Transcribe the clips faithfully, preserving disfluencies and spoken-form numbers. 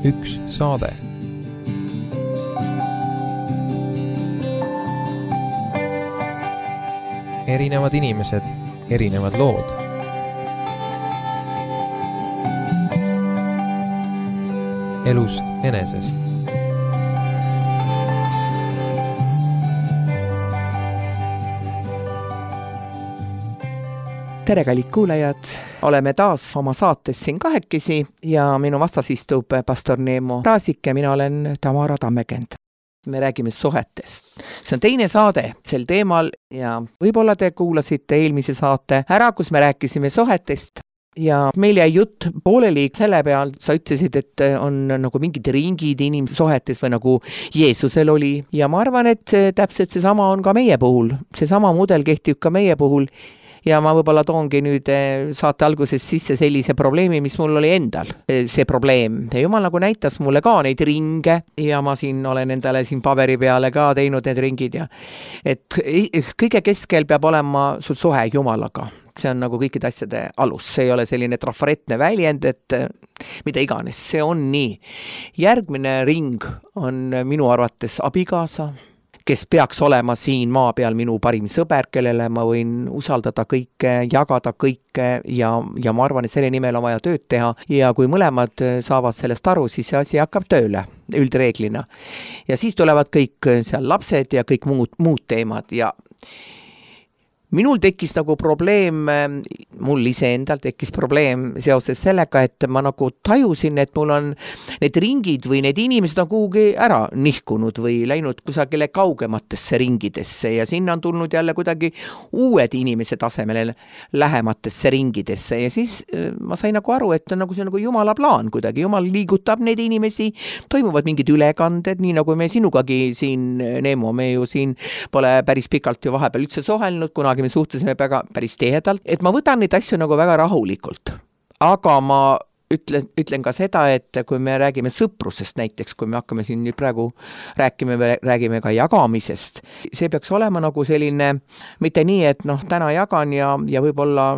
üks saade. Erinevad inimesed, erinevad lood. Elust enesest. Tere, kallid kuulajad! Oleme taas oma saates siin kahekesi ja minu vastas istub pastor Neemo Raasik ja mina olen Tamara Tammekend. Me räägime suhetest. See on teine saade sel teemal ja võib-olla te kuulasite eelmise saate ära, kus me rääkisime suhetest. Ja meil jäi jutt pooleli selle peal, sa ütlesid, et on nagu mingid ringid inimese suhetes või nagu Jeesusel oli. Ja ma arvan, et täpselt see sama on ka meie puhul. See sama mudel kehtib ka meie puhul. Ja ma võib-olla toongi nüüd saate alguses sisse sellise probleemi, mis mul oli endal. See probleem. Ja Jumal nagu näitas mulle ka neid ringe ja ma siin olen endale siin paberi peale ka teinud need ringid. Ja et kõige keskel peab olema sul suhe Jumalaga. See on nagu kõikide asjade alus. See ei ole selline trafaretne väljend, et mida iganes. See on nii. Järgmine ring on minu arvates abikaasa, kes peaks olema siin maa peal minu parim sõber, kellele ma võin usaldada kõike, jagada kõike ja, ja ma arvan, et selle nimel on vaja tööd teha. Ja kui mõlemad saavad sellest aru, siis see asi hakkab tööle üldreeglina. Ja siis tulevad kõik seal lapsed ja kõik muud, muud teemad ja minul tekkis nagu probleem, mul iseendal tekkis probleem seoses sellega, et ma nagu tajusin, et mul on need ringid või need inimesed on kuhugi ära nihkunud või läinud kusagile kaugematesse ringidesse ja sinna on tulnud jälle kuidagi uued inimesed asemele lähematesse ringidesse ja siis ma sain nagu aru, et nagu see on nagu Jumala plaan kuidagi. Jumal liigutab neid inimesi, toimuvad mingid ülekanded, nii nagu me sinugagi siin, Neemo, me ju siin pole päris pikalt ju vahepeal üldse sohelnud, kunagi me suhtlesime väga päris tihedalt, et ma võtan neid asju nagu väga rahulikult. Aga ma ütlen, ütlen ka seda, et kui me räägime sõprusest näiteks, kui me hakkame siin nüüd praegu rääkime, räägime ka jagamisest, see peaks olema nagu selline, mitte nii, et noh, täna jagan ja, ja võib-olla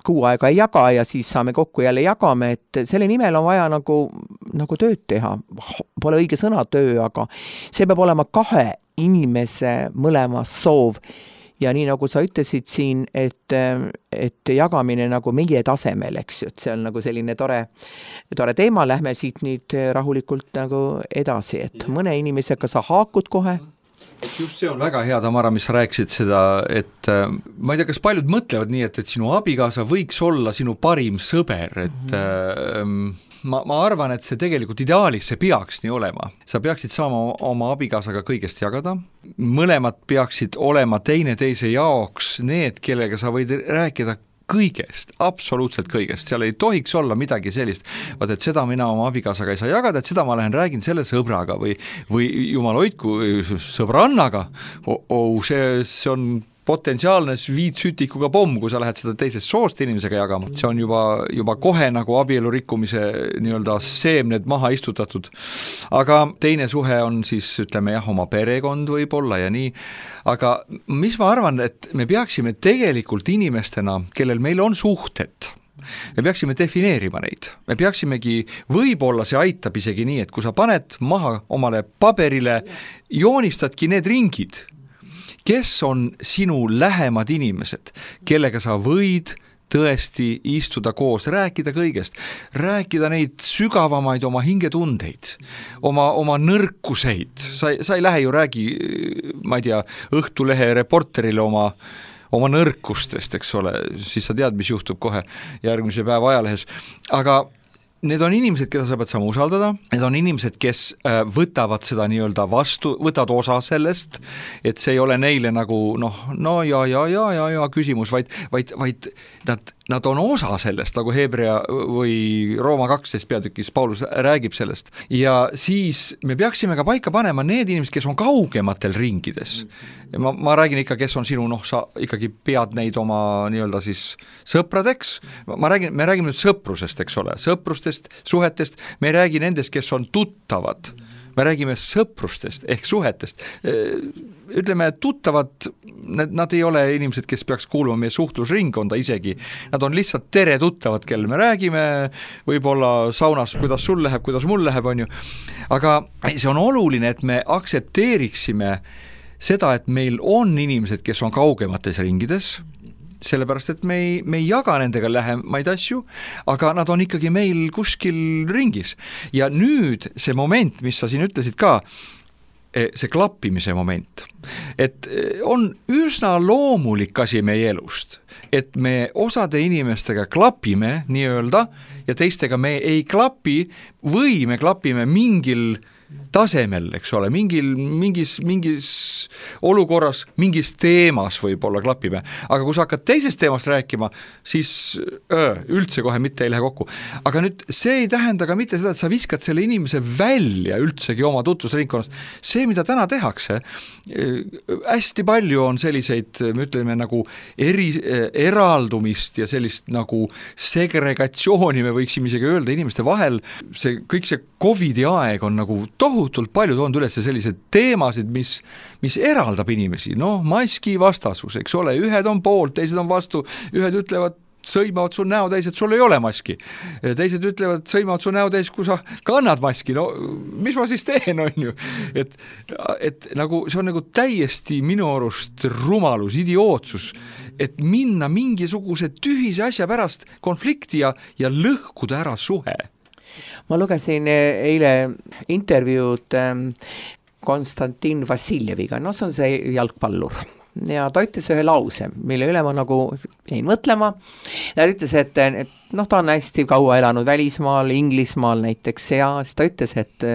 kuu aega ei jaga ja siis saame kokku jälle jagame, et selle nimel on vaja nagu, nagu tööd teha. Pole õige sõna töö, aga see peab olema kahe inimese mõlema soov. Ja nii nagu sa ütlesid siin, et, et jagamine nagu meie tasemel, eks ju, et see on nagu selline tore, tore teema, lähme siit nüüd rahulikult nagu edasi, et mõne inimesega sa haakud kohe. Just see on väga hea, Tamara, mis sa rääkisid seda, et ma ei tea, kas paljud mõtlevad nii, et, et sinu abikaasa võiks olla sinu parim sõber, et mm-hmm. Ma, ma arvan, et see tegelikult ideaalis see peaks nii olema. Sa peaksid saama oma abikaasaga kõigest jagada. Mõlemad peaksid olema teine teise jaoks need, kellega sa võid rääkida kõigest, absoluutselt kõigest. Seal ei tohiks olla midagi sellist, vaat et seda mina oma abikaasaga ei saa jagada, et seda ma lähen räägin selle sõbraga või, või jumal hoidku sõbrannaga. Oh, oh, see, see on potentsiaalne viitsütikuga pomm, kui sa lähed seda teisest soost inimesega jagama. See on juba, juba kohe nagu abielu rikkumise nii-öelda seemned maha istutatud. Aga teine suhe on siis, ütleme jah, oma perekond võib-olla ja nii. Aga mis ma arvan, et me peaksime tegelikult inimestena, kellel meil on suhted, me peaksime defineerima neid. Me peaksimegi, võib-olla see aitab isegi nii, et kui sa paned maha omale paberile, joonistadki need ringid, kes on sinu lähemad inimesed, kellega sa võid tõesti istuda koos, rääkida kõigest, rääkida neid sügavamaid oma hingetundeid, oma, oma nõrkuseid. Sa, sa ei lähe ju räägi, ma ei tea, Õhtulehe reporterile oma, oma nõrkustest, eks ole, siis sa tead, mis juhtub kohe järgmise päeva ajalehes. Aga need on inimesed, keda sa pead saama usaldada, need on inimesed, kes võtavad seda nii-öelda vastu, võtavad osa sellest, et see ei ole neile nagu noh, no ja, ja, ja, ja, ja küsimus, vaid, vaid, vaid nad, nad on osa sellest, nagu Hebrea või Rooma kaksteist peatükis Paulus räägib sellest. Ja siis me peaksime ka paika panema need inimesed, kes on kaugematel ringides. Ma, ma räägin ikka, kes on sinu, noh, sa ikkagi pead neid oma nii-öelda siis sõpradeks. Ma räägin, me räägime nüüd sõprusest, eks ole, sõprustest, suhetest, me ei räägi nendest, kes on tuttavad. me räägime sõprustest ehk suhetest. Ütleme, tuttavad, nad ei ole inimesed, kes peaks kuuluma meie suhtlusringkonda isegi. Nad on lihtsalt tere tuttavad, kelle me räägime, võib-olla saunas, kuidas sul läheb, kuidas mul läheb, on ju. Aga see on oluline, et me aksepteeriksime seda, et meil on inimesed, kes on kaugemates ringides, sellepärast, et me ei, me ei jaga nendega lähemaid asju, aga nad on ikkagi meil kuskil ringis. Ja nüüd see moment, mis sa siin ütlesid ka, see klappimise moment, et on üsna loomulik asi meie elust, et me osade inimestega klapime nii-öelda ja teistega me ei klapi või me klapime mingil tasemel, eks ole, mingil, mingis, mingis olukorras, mingis teemas võib-olla klapime, aga kui sa hakkad teisest teemast rääkima, siis öö, üldse kohe mitte ei lähe kokku. Aga nüüd see ei tähenda ka mitte seda, et sa viskad selle inimese välja üldsegi oma tutvusringkonnast. See, mida täna tehakse, hästi palju on selliseid, me ütleme nagu eri, eraldumist ja sellist nagu segregatsiooni, me võiksime isegi öelda inimeste vahel, see, kõik see Covidi aeg on nagu tohutult palju toonud üles sellised teemasid, mis, mis eraldab inimesi. No maski vastasus, eks ole, ühed on poolt, teised on vastu, ühed ütlevad, sõimavad su näo täis, et sul ei ole maski. Teised ütlevad, sõimavad su näo täis, kui sa kannad maski. No mis ma siis teen, on ju? Et, et nagu, see on nagu täiesti minu arust rumalus, idiootsus, et minna mingisuguse tühise asja pärast konflikti ja, ja lõhkuda ära suhe. Ma lugesin eile intervjuud Konstantin Vassiljeviga, no see on see jalgpallur. Ja ta ütles ühe lause, mille üle ma nagu jäin mõtlema. Ta ütles, et, et noh, ta on hästi kaua elanud välismaal, Inglismaal näiteks, ja siis ta ütles, et,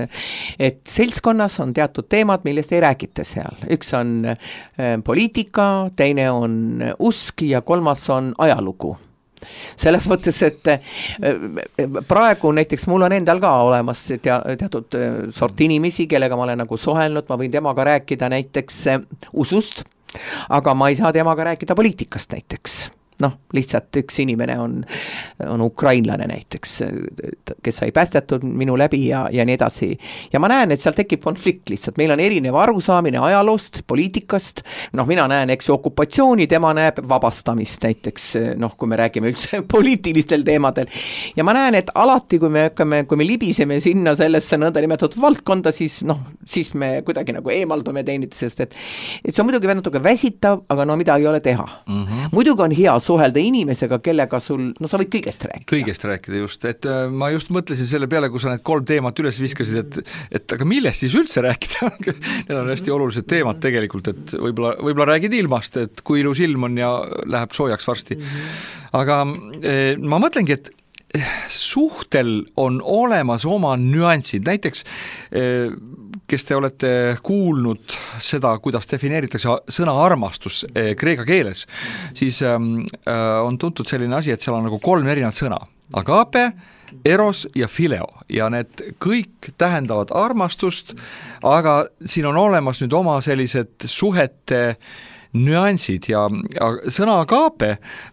et seltskonnas on teatud teemad, millest ei räägita seal. Üks on poliitika, teine on usk ja kolmas on ajalugu. Selles mõttes, et praegu näiteks mul on endal ka olemas tea, teatud sort inimesi, kellega ma olen nagu suhelnud, ma võin temaga rääkida näiteks usust, aga ma ei saa temaga rääkida poliitikast näiteks. Noh, lihtsalt üks inimene on, on ukrainlane näiteks, kes sai päästetud minu läbi ja, ja nii edasi. Ja ma näen, et seal tekib konflikt lihtsalt. Meil on erinev arusaamine ajaloost, poliitikast. Noh, mina näen, eks okupatsiooni, tema näeb vabastamist näiteks, noh, kui me räägime üldse poliitilistel teemadel. Ja ma näen, et alati, kui me hakkame, kui me libiseme sinna sellesse nõnda nimetatud valdkonda, siis noh, siis me kuidagi nagu eemaldume teineteisest, et, et see on muidugi natuke väsitav, aga no mida ei ole teha. Mm-hmm. Muidugi on hea suhelda inimesega, kellega sul, no sa võid kõigest rääkida. Kõigest rääkida just, et äh, ma just mõtlesin selle peale, kui sa need kolm teemat üles viskasid, et, et aga millest siis üldse rääkida? Need on hästi olulised teemad tegelikult, et võib-olla, võib-olla räägid ilmast, et kui ilus ilm on ja läheb soojaks varsti. Aga äh, ma mõtlengi, et suhtel on olemas oma nüansid, näiteks kes te olete kuulnud seda, kuidas defineeritakse sõna armastus kreeka keeles, siis on tuntud selline asi, et seal on nagu kolm erinevat sõna, agape, eros ja fileo ja need kõik tähendavad armastust, aga siin on olemas nüüd oma sellised suhete nüansid ja, ja sõna agape,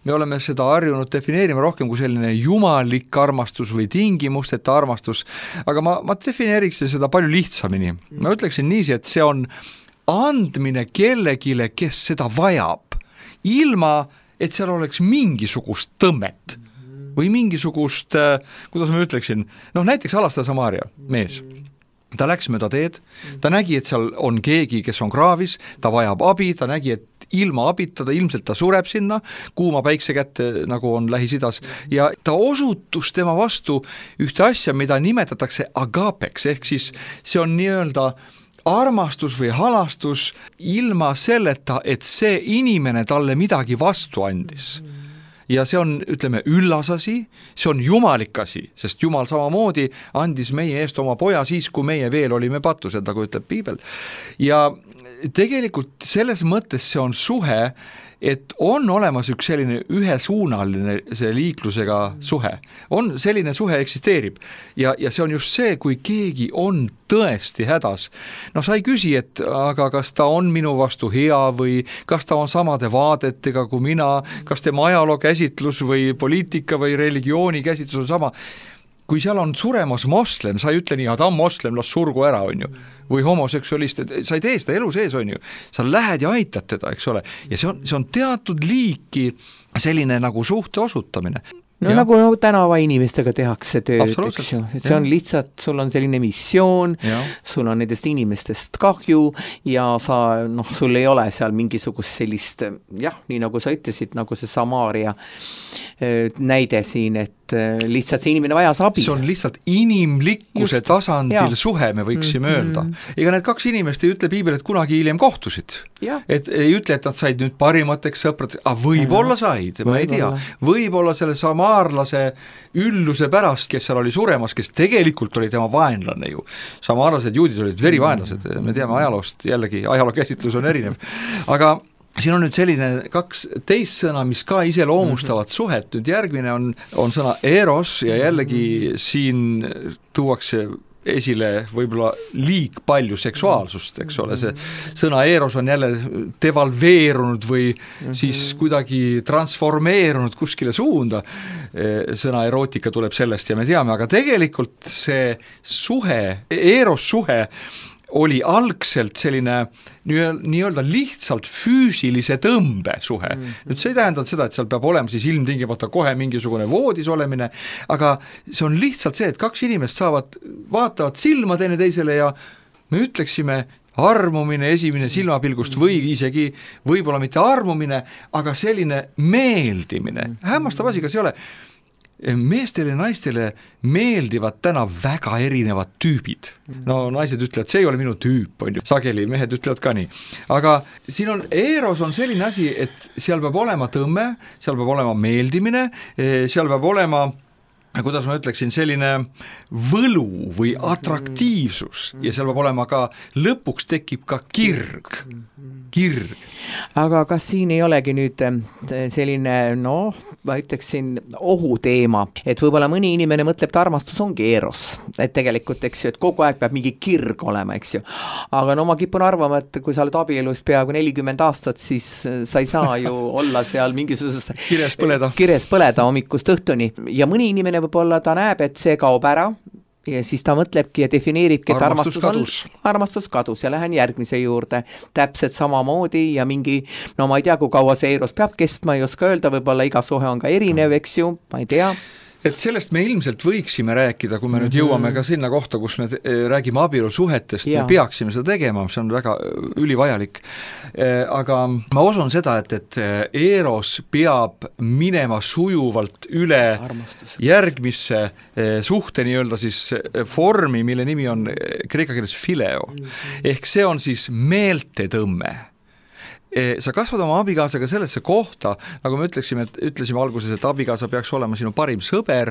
me oleme seda harjunud defineerima rohkem kui selline jumalik armastus või tingimusteta armastus, aga ma, ma defineeriks seda palju lihtsamini. Ma ütleksin niiviisi, et see on andmine kellegile, kes seda vajab, ilma et seal oleks mingisugust tõmmet või mingisugust, kuidas ma ütleksin, noh näiteks Alastaja Samaria mees. Ta läks mööda teed, ta nägi, et seal on keegi, kes on kraavis, ta vajab abi, ta nägi, et ilma abita ta ilmselt ta sureb sinna, kuuma päikse kätte, nagu on Lähis-Idas, ja ta osutus tema vastu ühte asja, mida nimetatakse agapeks, ehk siis see on nii-öelda armastus või halastus ilma selleta, et see inimene talle midagi vastu andis. Ja see on, ütleme, üllas asi, see on jumalik asi, sest Jumal samamoodi andis meie eest oma poja siis, kui meie veel olime patused, nagu ütleb Piibel. Ja tegelikult selles mõttes see on suhe, et on olemas üks selline ühesuunaline see liiklusega suhe. On selline suhe eksisteerib ja, ja see on just see, kui keegi on tõesti hädas. No sa ei küsi, et aga kas ta on minu vastu hea või kas ta on samade vaadetega kui mina, kas tema ajaloo käsitlus või poliitika või religiooni käsitlus on sama. kui seal on suremas moslem, sa ei ütle nii, ta on moslem, las surgu ära, on ju, või homoseksualist, et sa ei tee seda elu sees, on ju, sa lähed ja aitad teda, eks ole, ja see on, see on teatud liiki selline nagu suhte osutamine. No ja. nagu, nagu tänava inimestega tehakse tööd, eks ju, et see on lihtsalt, sul on selline missioon, ja. sul on nendest inimestest kahju ja sa, noh, sul ei ole seal mingisugust sellist, jah, nii nagu sa ütlesid, nagu see Samaaria näide siin, et lihtsalt see inimene vajas abi. See on lihtsalt inimlikkuse Just, tasandil ja. suhe, me võiksime mm-hmm. öelda. Ega need kaks inimest ei ütle piibel, et kunagi hiljem kohtusid. Ja. Et ei ütle, et nad said nüüd parimateks sõprad, aga võib-olla said, ma ei tea. Võib-olla selle samaarlase ülluse pärast, kes seal oli suremas, kes tegelikult oli tema vaenlane ju. Samaarlased juudid olid verivaenlased, me teame ajaloost, jällegi ajaloo käsitlus on erinev. Aga siin on nüüd selline kaks teist sõna, mis ka iseloomustavad mm-hmm. suhet, nüüd järgmine on, on sõna eros ja jällegi siin tuuakse esile võib-olla liig palju seksuaalsust, eks ole, see sõna eros on jälle devalveerunud või mm-hmm. siis kuidagi transformeerunud kuskile suunda, sõna erootika tuleb sellest ja me teame, aga tegelikult see suhe, eros suhe oli algselt selline nii-öelda lihtsalt füüsilise tõmbe suhe. Mm-hmm. Nüüd see ei tähenda seda, et seal peab olema siis ilmtingimata kohe mingisugune voodis olemine, aga see on lihtsalt see, et kaks inimest saavad, vaatavad silma teine teisele ja me ütleksime armumine esimene silmapilgust või isegi võib-olla mitte armumine, aga selline meeldimine. Hämmastav asi, kas ei ole? Meestele ja naistele meeldivad täna väga erinevad tüübid. No naised ütlevad, see ei ole minu tüüp, on ju. Sageli mehed ütlevad ka nii. Aga siin on, eros on selline asi, et seal peab olema tõmme, seal peab olema meeldimine, seal peab olema, kuidas ma ütleksin, selline võlu või atraktiivsus ja seal peab olema ka, lõpuks tekib ka kirg. Kirg. Aga kas siin ei olegi nüüd selline, noh, ma ütleksin ohuteema, et võib-olla mõni inimene mõtleb, et armastus ongi eros, et tegelikult, eks ju, et kogu aeg peab mingi kirg olema, eks ju. Aga no ma kipun arvama, et kui sa oled abielus peaaegu nelikümmend aastat, siis sa ei saa ju olla seal mingisuguses kires põleda. kires põleda hommikust õhtuni ja mõni inimene võib-olla ta näeb, et see kaob ära ja siis ta mõtlebki ja defineeribki, et armastus, armastus, kadus. On, armastus kadus ja lähen järgmise juurde täpselt samamoodi ja mingi, no ma ei tea, kui kaua see eros peab kestma, ei oska öelda, võib-olla iga suhe on ka erinev, eks ju, ma ei tea. Et sellest me ilmselt võiksime rääkida, kui me mm-hmm. nüüd jõuame ka sinna kohta, kus me räägime abielusuhetest, me peaksime seda tegema, see on väga ülivajalik. Aga ma usun seda, et, et eros peab minema sujuvalt üle Armastus. järgmisse suhte nii-öelda siis vormi, mille nimi on kreeka keeles phileo. Mm-hmm. Ehk see on siis meeltetõmme. Sa kasvad oma abikaasaga sellesse kohta, nagu me ütleksime, et ütlesime alguses, et abikaasa peaks olema sinu parim sõber,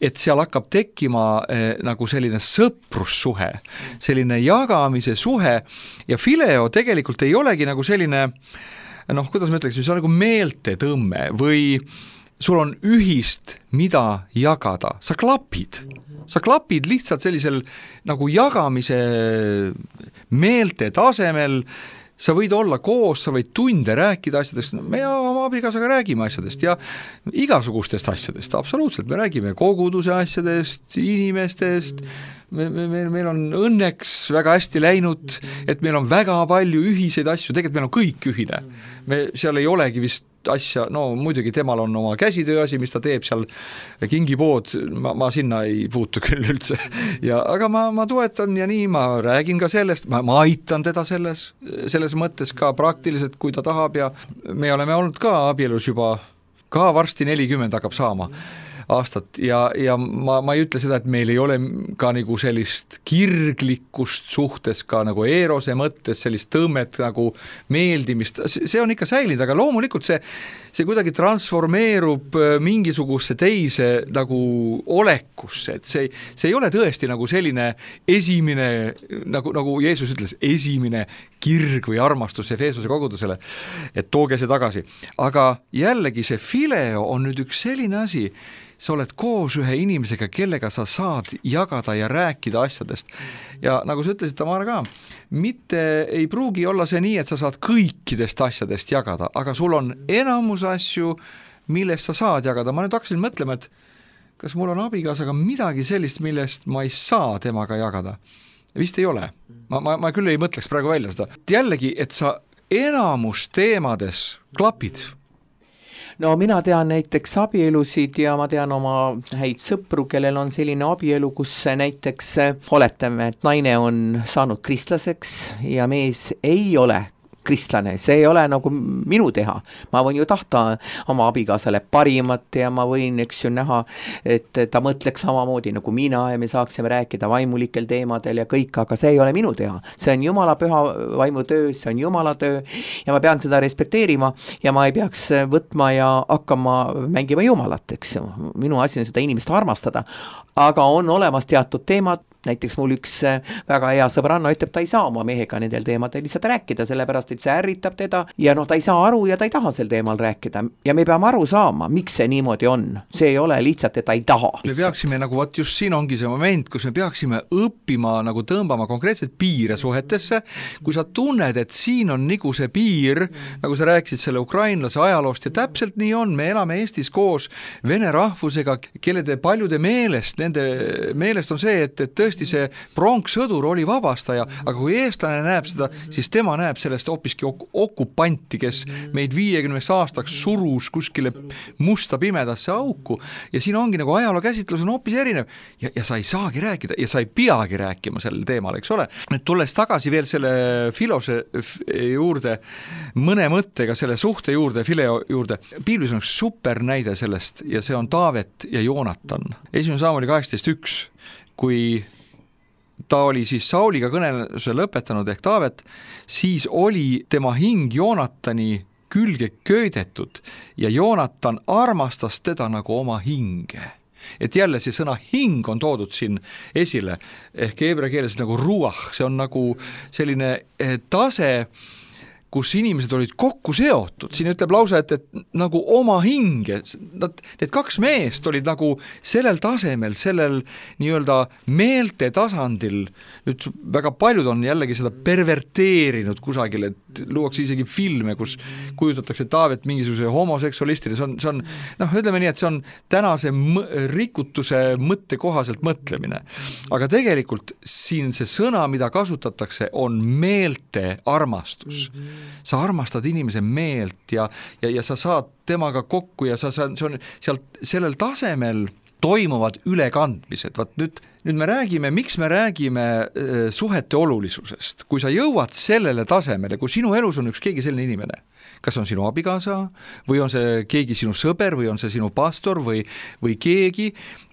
et seal hakkab tekkima eh, nagu selline sõprussuhe, selline jagamise suhe ja phileo tegelikult ei olegi nagu selline, noh, kuidas me ütleksime, see on nagu meeltetõmme või sul on ühist, mida jagada, sa klapid, sa klapid lihtsalt sellisel nagu jagamise meelte tasemel, sa võid olla koos, sa võid tunde rääkida asjadest, me oma abikaasaga räägime asjadest ja igasugustest asjadest, absoluutselt, me räägime koguduse asjadest, inimestest, me, me, me, meil on õnneks väga hästi läinud, et meil on väga palju ühiseid asju, tegelikult meil on kõik ühine, me seal ei olegi vist asja, no muidugi temal on oma käsitöö asi, mis ta teeb seal kingipood, ma, ma sinna ei puutu küll üldse ja, aga ma, ma toetan ja nii, ma räägin ka sellest, ma, ma aitan teda selles, selles mõttes ka praktiliselt, kui ta tahab ja me oleme olnud ka abielus juba, ka varsti nelikümmend hakkab saama aastat ja, ja ma, ma ei ütle seda, et meil ei ole ka nagu sellist kirglikkust suhtes ka nagu erose mõttes, sellist tõmmet nagu meeldimist, see on ikka säilinud, aga loomulikult see, see kuidagi transformeerub mingisuguse teise nagu olekusse, et see, see ei ole tõesti nagu selline esimene, nagu, nagu Jeesus ütles, esimene kirg või armastus Efesose kogudusele, et tooge see tagasi. Aga jällegi see phileo on nüüd üks selline asi, sa oled koos ühe inimesega, kellega sa saad jagada ja rääkida asjadest. Ja nagu sa ütlesid, Tamara ka, mitte ei pruugi olla see nii, et sa saad kõikidest asjadest jagada, aga sul on enamus asju, millest sa saad jagada. Ma nüüd hakkasin mõtlema, et kas mul on abikaasaga midagi sellist, millest ma ei saa temaga jagada? Vist ei ole. Ma, ma, ma küll ei mõtleks praegu välja seda. Jällegi, et sa enamus teemades klapid. No mina tean näiteks abielusid ja ma tean oma häid sõpru, kellel on selline abielu, kus näiteks oletame, et naine on saanud kristlaseks ja mees ei ole kristlane, see ei ole nagu minu teha. Ma võin ju tahta oma abikaasale parimat ja ma võin, eks ju, näha, et ta mõtleks samamoodi nagu mina ja me saaksime rääkida vaimulikel teemadel ja kõik, aga see ei ole minu teha. See on Jumala püha vaimu töö, see on Jumala töö ja ma pean seda respekteerima ja ma ei peaks võtma ja hakkama mängima Jumalat, eks ju. Minu asi on seda inimest armastada, aga on olemas teatud teemad. Näiteks mul üks väga hea sõbranna ütleb, ta ei saa oma mehega nendel teemadel lihtsalt rääkida, sellepärast et see ärritab teda ja noh, ta ei saa aru ja ta ei taha sel teemal rääkida ja me peame aru saama, miks see niimoodi on. See ei ole lihtsalt, et ta ei taha. Me peaksime nagu, vaat just siin ongi see moment, kus me peaksime õppima nagu tõmbama konkreetselt piire suhetesse, kui sa tunned, et siin on nagu see piir, nagu sa rääkisid selle ukrainlase ajaloost ja täpselt nii on, me elame Eestis koos vene rahvusega, kelle te paljude meelest, nende meelest on see, et, et tõesti see pronkssõdur oli vabastaja, aga kui eestlane näeb seda, siis tema näeb sellest hoopiski ok- okupanti, kes meid viiekümneks aastaks surus kuskile musta pimedasse auku ja siin ongi nagu ajaloo käsitlus on hoopis erinev ja, ja sa ei saagi rääkida ja sa ei peagi rääkima sellel teemal, eks ole. Nüüd tulles tagasi veel selle filose juurde, mõne mõttega selle suhte juurde, fileo juurde, Piiblis on üks super näide sellest ja see on Taavet ja Joonatan. Esimene Saamuli kaheksateist üks, kui ta oli siis Sauliga kõneluse lõpetanud ehk Taavet, siis oli tema hing Joonatani külge köidetud ja Joonatan armastas teda nagu oma hinge. Et jälle see sõna hing on toodud siin esile, ehk heebrea keeles nagu ruach, see on nagu selline tase, kus inimesed olid kokku seotud. Siin ütleb lause, et, et nagu oma hinge, nad, need kaks meest olid nagu sellel tasemel, sellel nii-öelda meelte tasandil, nüüd väga paljud on jällegi seda perverteerinud kusagil, et luuakse isegi filme, kus kujutatakse Taavet mingisuguse homoseksualistide, see on, see on, noh, ütleme nii, et see on tänase m- rikutuse mõtte kohaselt mõtlemine. Aga tegelikult siin see sõna, mida kasutatakse, on meelte armastus. Sa armastad inimese meelt ja, ja, ja sa saad temaga kokku ja sa, sa, see on sealt sellel tasemel toimuvad ülekandmised. Vaat nüüd, nüüd me räägime, miks me räägime äh, suhete olulisusest. Kui sa jõuad sellele tasemele, kui sinu elus on üks keegi selline inimene, kas on sinu abikaasa või on see keegi sinu sõber või on see sinu pastor või, või keegi,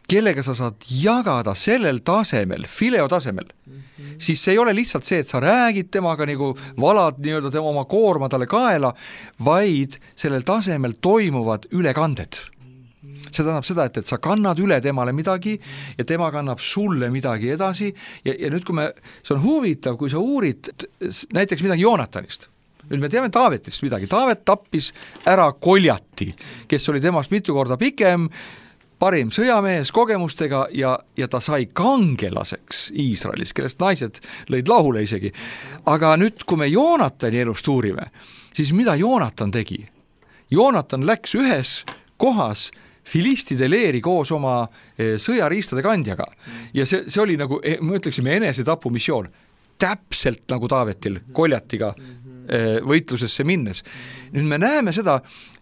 kellega sa saad jagada sellel tasemel, fileo tasemel, mm-hmm. siis see ei ole lihtsalt see, et sa räägid temaga nagu valad nii-öelda tema oma koorma talle kaela, vaid sellel tasemel toimuvad ülekanded. See tähendab seda, et, et sa kannad üle temale midagi ja tema kannab sulle midagi edasi ja, ja nüüd kui me, see on huvitav, kui sa uurid näiteks midagi Joonatanist. Nüüd me teame Taavetist midagi. Taavet tappis ära Koljati, kes oli temast mitu korda pikem, parim sõjamees kogemustega ja, ja ta sai kangelaseks Iisraelis, kellest naised lõid lahule isegi. Aga nüüd, kui me Joonatani elust uurime, siis mida Joonatan tegi? Joonatan läks ühes kohas filistide leeri koos oma sõjariistade kandjaga ja see, see oli nagu, me ütleksime, enesetapu missioon. Täpselt nagu Taavetil Koljatiga võitlusesse minnes. Nüüd me näeme seda,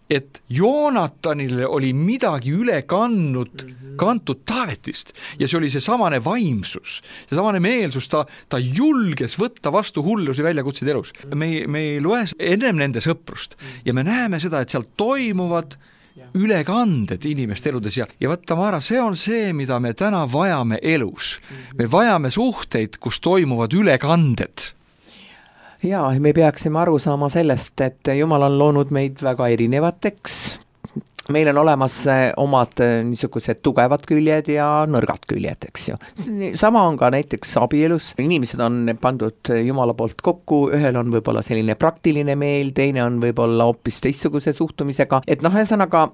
et Joonatanile oli midagi üle kannud, kantud Taavetist ja see oli see samane vaimsus, see samane meelsus, ta, ta julges võtta vastu hullusi väljakutseid elus. Me, me ei loe ennem nende sõprust ja me näeme seda, et seal toimuvad ülekanded inimeste eludes ja, ja vaata Mara, see on see, mida me täna vajame elus. Me vajame suhteid, kus toimuvad ülekanded. Ja, me peaksime aru saama sellest, et Jumal on loonud meid väga erinevateks. Meil on olemas omad niisugused tugevad küljed ja nõrgad küljed, eks ju. Sama on ka näiteks abielus. Inimesed on pandud Jumala poolt kokku, ühel on võib-olla selline praktiline meel, teine on võib-olla hoopis teistsuguse suhtumisega. Et noh, ühesõnaga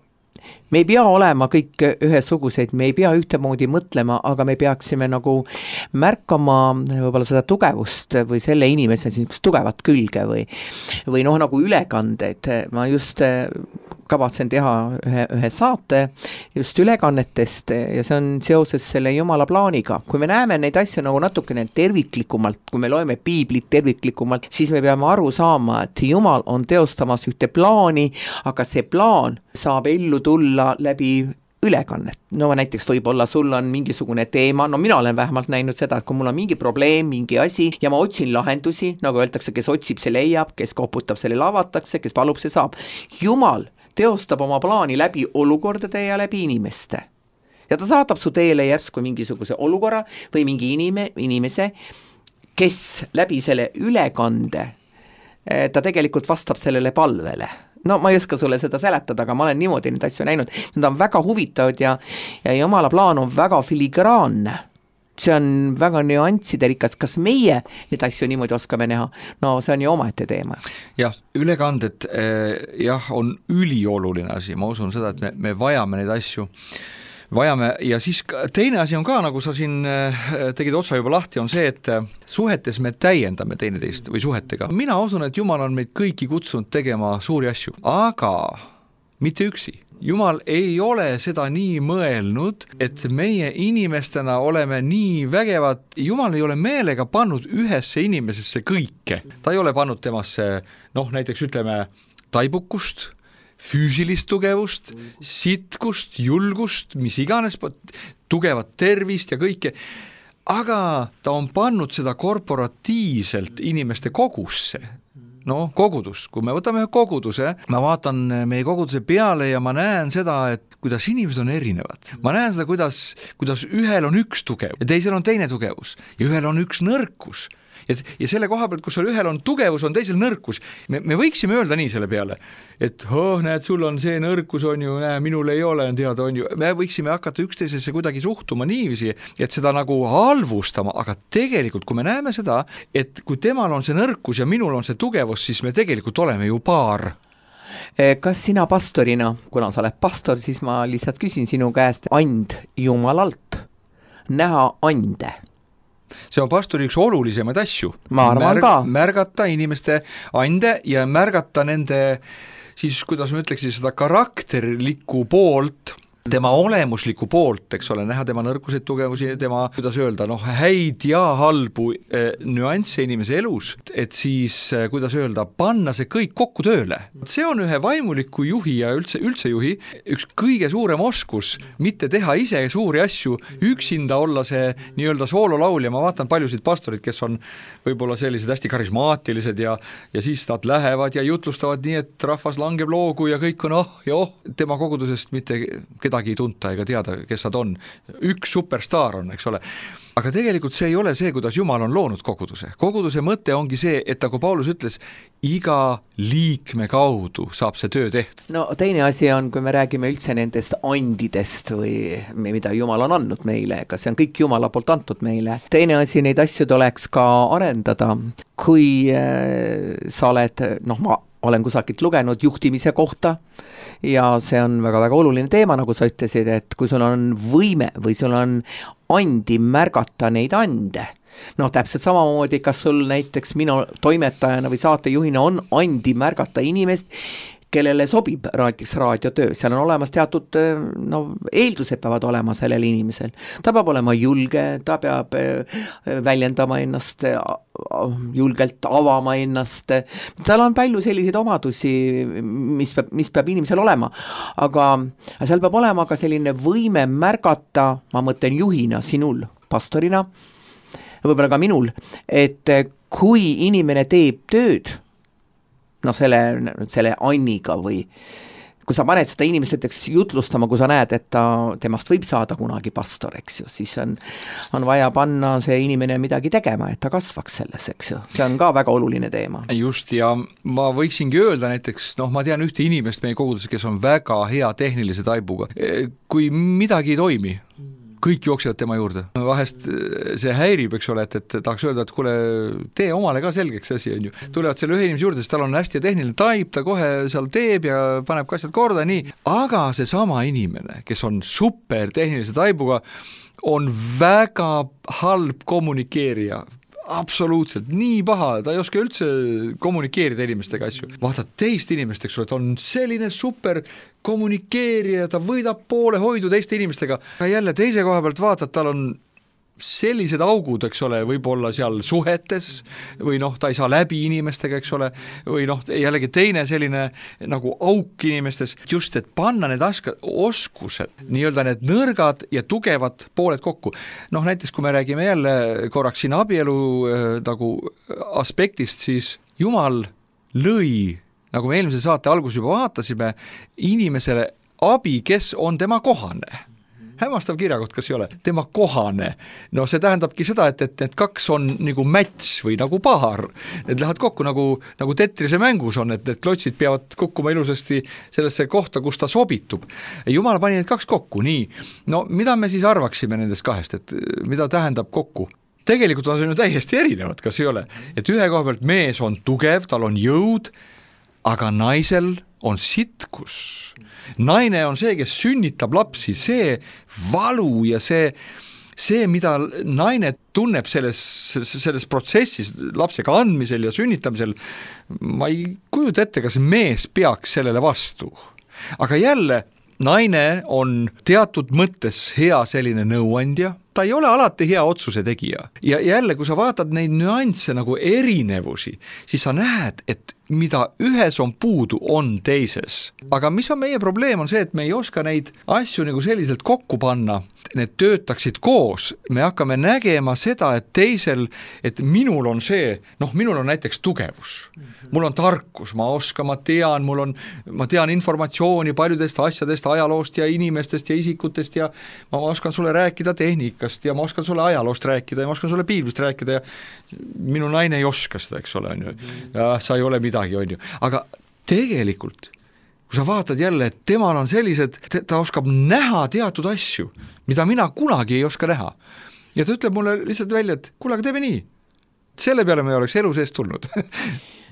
me ei pea olema kõik ühesuguseid, me ei pea ühtemoodi mõtlema, aga me peaksime nagu märkama võib-olla seda tugevust või selle inimese niisugust tugevat külge või, või noh, nagu ülekandeid. Ma just kavatsen teha ühe, ühe saate just ülekannetest ja see on seoses selle Jumala plaaniga. Kui me näeme neid asju nagu natukene terviklikumalt, kui me loeme piiblit terviklikumalt, siis me peame aru saama, et Jumal on teostamas ühte plaani, aga see plaan saab ellu tulla läbi ülekannet. No näiteks võib-olla sul on mingisugune teema, no mina olen vähemalt näinud seda, et kui mul on mingi probleem, mingi asi ja ma otsin lahendusi, nagu öeldakse, kes otsib, see leiab, kes koputab, selle lavatakse, kes palub, see saab. Jumal teostab oma plaani läbi olukordade ja läbi inimeste. Ja ta saadab su teele järsku mingisuguse olukorra või mingi inime, inimese, kes läbi selle ülekande, ta tegelikult vastab sellele palvele. No ma ei oska sulle seda seletada, aga ma olen niimoodi neid asju näinud. Need on väga huvitavad ja, ja Jumala plaan on väga filigraanne. See on väga nüansiderikas, kas meie neid asju niimoodi oskame näha? No see on ju omaette teema. Jah, ülekanded jah, on ülioluline asi, ma usun seda, et me, me vajame neid asju, vajame ja siis teine asi on ka, nagu sa siin tegid otsa juba lahti, on see, et suhetes me täiendame teineteist või suhetega. Mina usun, et Jumal on meid kõiki kutsunud tegema suuri asju, aga mitte üksi. Jumal ei ole seda nii mõelnud, et meie inimestena oleme nii vägevad. Jumal ei ole meelega pannud ühesse inimesesse kõike. Ta ei ole pannud temasse, noh näiteks ütleme, taibukust, füüsilist tugevust, sitkust, julgust, mis iganes, tugevat tervist ja kõike. Aga ta on pannud seda korporatiivselt inimeste kogusse. No kogudus, kui me võtame ühe koguduse, ma vaatan meie koguduse peale ja ma näen seda, et kuidas inimesed on erinevad. Ma näen seda, kuidas, kuidas ühel on üks tugev ja teisel on teine tugevus ja ühel on üks nõrkus. Ja, ja selle koha pealt, kus ühel on tugevus, on teisel nõrkus. Me, me võiksime öelda nii selle peale, et oh, näed, sul on see nõrkus, on ju, näe, minul ei ole, on teada, on ju. Me võiksime hakata üksteisesse kuidagi suhtuma niiviisi, et seda nagu halvustama, aga tegelikult, kui me näeme seda, et kui temal on see nõrkus ja minul on see tugevus, siis me tegelikult oleme ju paar. Kas sina pastorina, kuna sa oled pastor, siis ma lihtsalt küsin sinu käest and Jumalalt, näha ande. See on pastori üks olulisemaid asju. Ma arvan Märg, ka. Märgata inimeste ande ja märgata nende, siis kuidas ma ütleksin, seda karakterlikku poolt, tema olemuslikku poolt, eks ole, näha tema nõrkuseid, tugevusi, tema, kuidas öelda, noh, häid ja halbu eh, nüansse inimese elus, et siis, eh, kuidas öelda, panna see kõik kokku tööle. See on ühe vaimuliku juhi ja üldse, üldse juhi üks kõige suurem oskus, mitte teha ise suuri asju, üksinda olla see nii-öelda soololaulja. Ma vaatan paljusid pastorid, kes on võib-olla sellised hästi karismaatilised ja, ja siis nad lähevad ja jutlustavad nii, et rahvas langeb loogu ja kõik on oh ja oh, tema kogudusest mitte kedagi ei tunta ega teada, kes nad on. Üks superstaar on, eks ole. Aga tegelikult see ei ole see, kuidas Jumal on loonud koguduse. Koguduse mõte ongi see, et nagu Paulus ütles, iga liikme kaudu saab see töö tehtud. No teine asi on, kui me räägime üldse nendest andidest või mida Jumal on andnud meile, kas see on kõik Jumala poolt antud meile. Teine asi, neid asju tuleks ka arendada. Kui äh, sa oled, noh ma olen kusagilt lugenud juhtimise kohta ja see on väga-väga oluline teema, nagu sa ütlesid, et kui sul on võime või sul on andi märgata neid ande, noh täpselt samamoodi, kas sul näiteks minu toimetajana või saatejuhina on andi märgata inimest, kellele sobib näiteks raadiotöö, seal on olemas teatud no, eeldused peavad olema sellel inimesel. Ta peab olema julge, ta peab väljendama ennast, julgelt avama ennast, seal on palju selliseid omadusi, mis peab, mis peab inimesel olema, aga seal peab olema ka selline võime märgata, ma mõtlen juhina, sinul, pastorina, võib-olla ka minul, et kui inimene teeb tööd, no selle, selle anniga või kui sa paned seda inimesteks jutlustama, kui sa näed, et ta, temast võib saada kunagi pastor, eks ju, siis on, on vaja panna see inimene midagi tegema, et ta kasvaks selles, eks ju. See on ka väga oluline teema. Just, ja ma võiksingi öelda näiteks, noh, ma tean ühte inimest meie koguduses, kes on väga hea tehnilise taibuga. Kui midagi ei toimi, kõik jooksevad tema juurde. Vahest see häirib, eks ole, et, et tahaks öelda, et kuule, tee omale ka selgeks asi, on ju. Tulevad selle ühe inimese juurde, sest tal on hästi tehniline taip, ta kohe seal teeb ja paneb ka asjad korda, nii. Aga see sama inimene, kes on super tehnilise taibuga, on väga halb kommunikeerija. Absoluutselt, nii paha, ta ei oska üldse kommunikeerida inimestega asju. Vaatad teist inimest, eks ole, et on selline super kommunikeerija, ta võidab poole hoidu teiste inimestega. Ja jälle teise koha pealt vaatad, tal on sellised augud, eks ole, võib-olla seal suhetes või noh, ta ei saa läbi inimestega, eks ole, või noh, jällegi teine selline nagu auk inimestes, just et panna need aska, oskused, nii-öelda need nõrgad ja tugevad pooled kokku. Noh, näiteks kui me räägime jälle korraks siin abielu äh, nagu aspektist, siis Jumal lõi, nagu me eelmise saate algus juba vaatasime, inimesele abi, kes on tema kohane. Hämmastav kirjakoht, kas ei ole? Tema kohane. No see tähendabki seda, et, et need kaks on nagu match või nagu paar. Need lähevad kokku nagu, nagu tetrise mängus on, et need klotsid peavad kukkuma ilusasti sellesse kohta, kus ta sobitub. Jumal pani need kaks kokku, nii. No mida me siis arvaksime nendest kahest, et mida tähendab kokku? Tegelikult on see ju täiesti erinevad, kas ei ole? Et ühe koha pealt mees on tugev, tal on jõud, aga naisel on sitkus. Naine on see, kes sünnitab lapsi, see valu ja see, see mida naine tunneb selles, selles protsessis lapsega andmisel ja sünnitamisel, ma ei kujuta ette, kas mees peaks sellele vastu. Aga jälle, naine on teatud mõttes hea selline nõuandja, ta ei ole alati hea otsuse tegija. Ja jälle, kui sa vaatad neid nüansse nagu erinevusi, siis sa näed, et mida ühes on puudu, on teises. Aga mis on meie probleem, on see, et me ei oska neid asju nagu selliselt kokku panna, need töötaksid koos. Me hakkame nägema seda, et teisel, et minul on see, noh, minul on näiteks tugevus. Mul on tarkus, ma oskan, ma tean, mul on, ma tean informatsiooni paljudest asjadest, ajaloost ja inimestest ja isikutest ja ma oskan sulle rääkida tehnikast ja ma oskan sulle ajaloost rääkida ja ma oskan sulle piiblist rääkida ja minu naine ei oska seda, eks ole, on ju. Ja sa ei ole midagi, on ju. Aga tegelikult, kui sa vaatad jälle, et temal on sellised, ta oskab näha teatud asju, mida mina kunagi ei oska näha. Ja ta ütleb mulle lihtsalt välja, et kuule, aga teeme nii. Selle peale me oleks elu seest tulnud.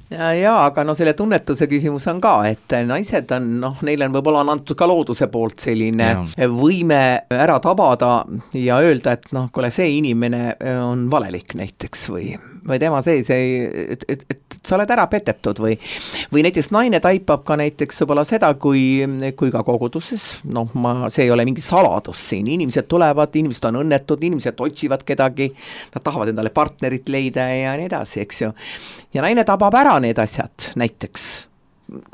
Ja, ja, aga no selle tunnetuse küsimus on ka, et naised on, noh, neile on võib-olla on antud ka looduse poolt selline ja. Võime ära tabada ja öelda, et noh, kuule, see inimene on valelik näiteks või, või tema sees ei, et, et, et sa oled ära petetud või, või näiteks naine taipab ka näiteks võib-olla seda, kui, kui ka koguduses, noh, ma, see ei ole mingi saladus siin, inimesed tulevad, inimesed on õnnetud, inimesed otsivad kedagi, nad tahavad endale partnerit leida ja nii edasi, eks ju. Ja naine tabab ära need asjad, näiteks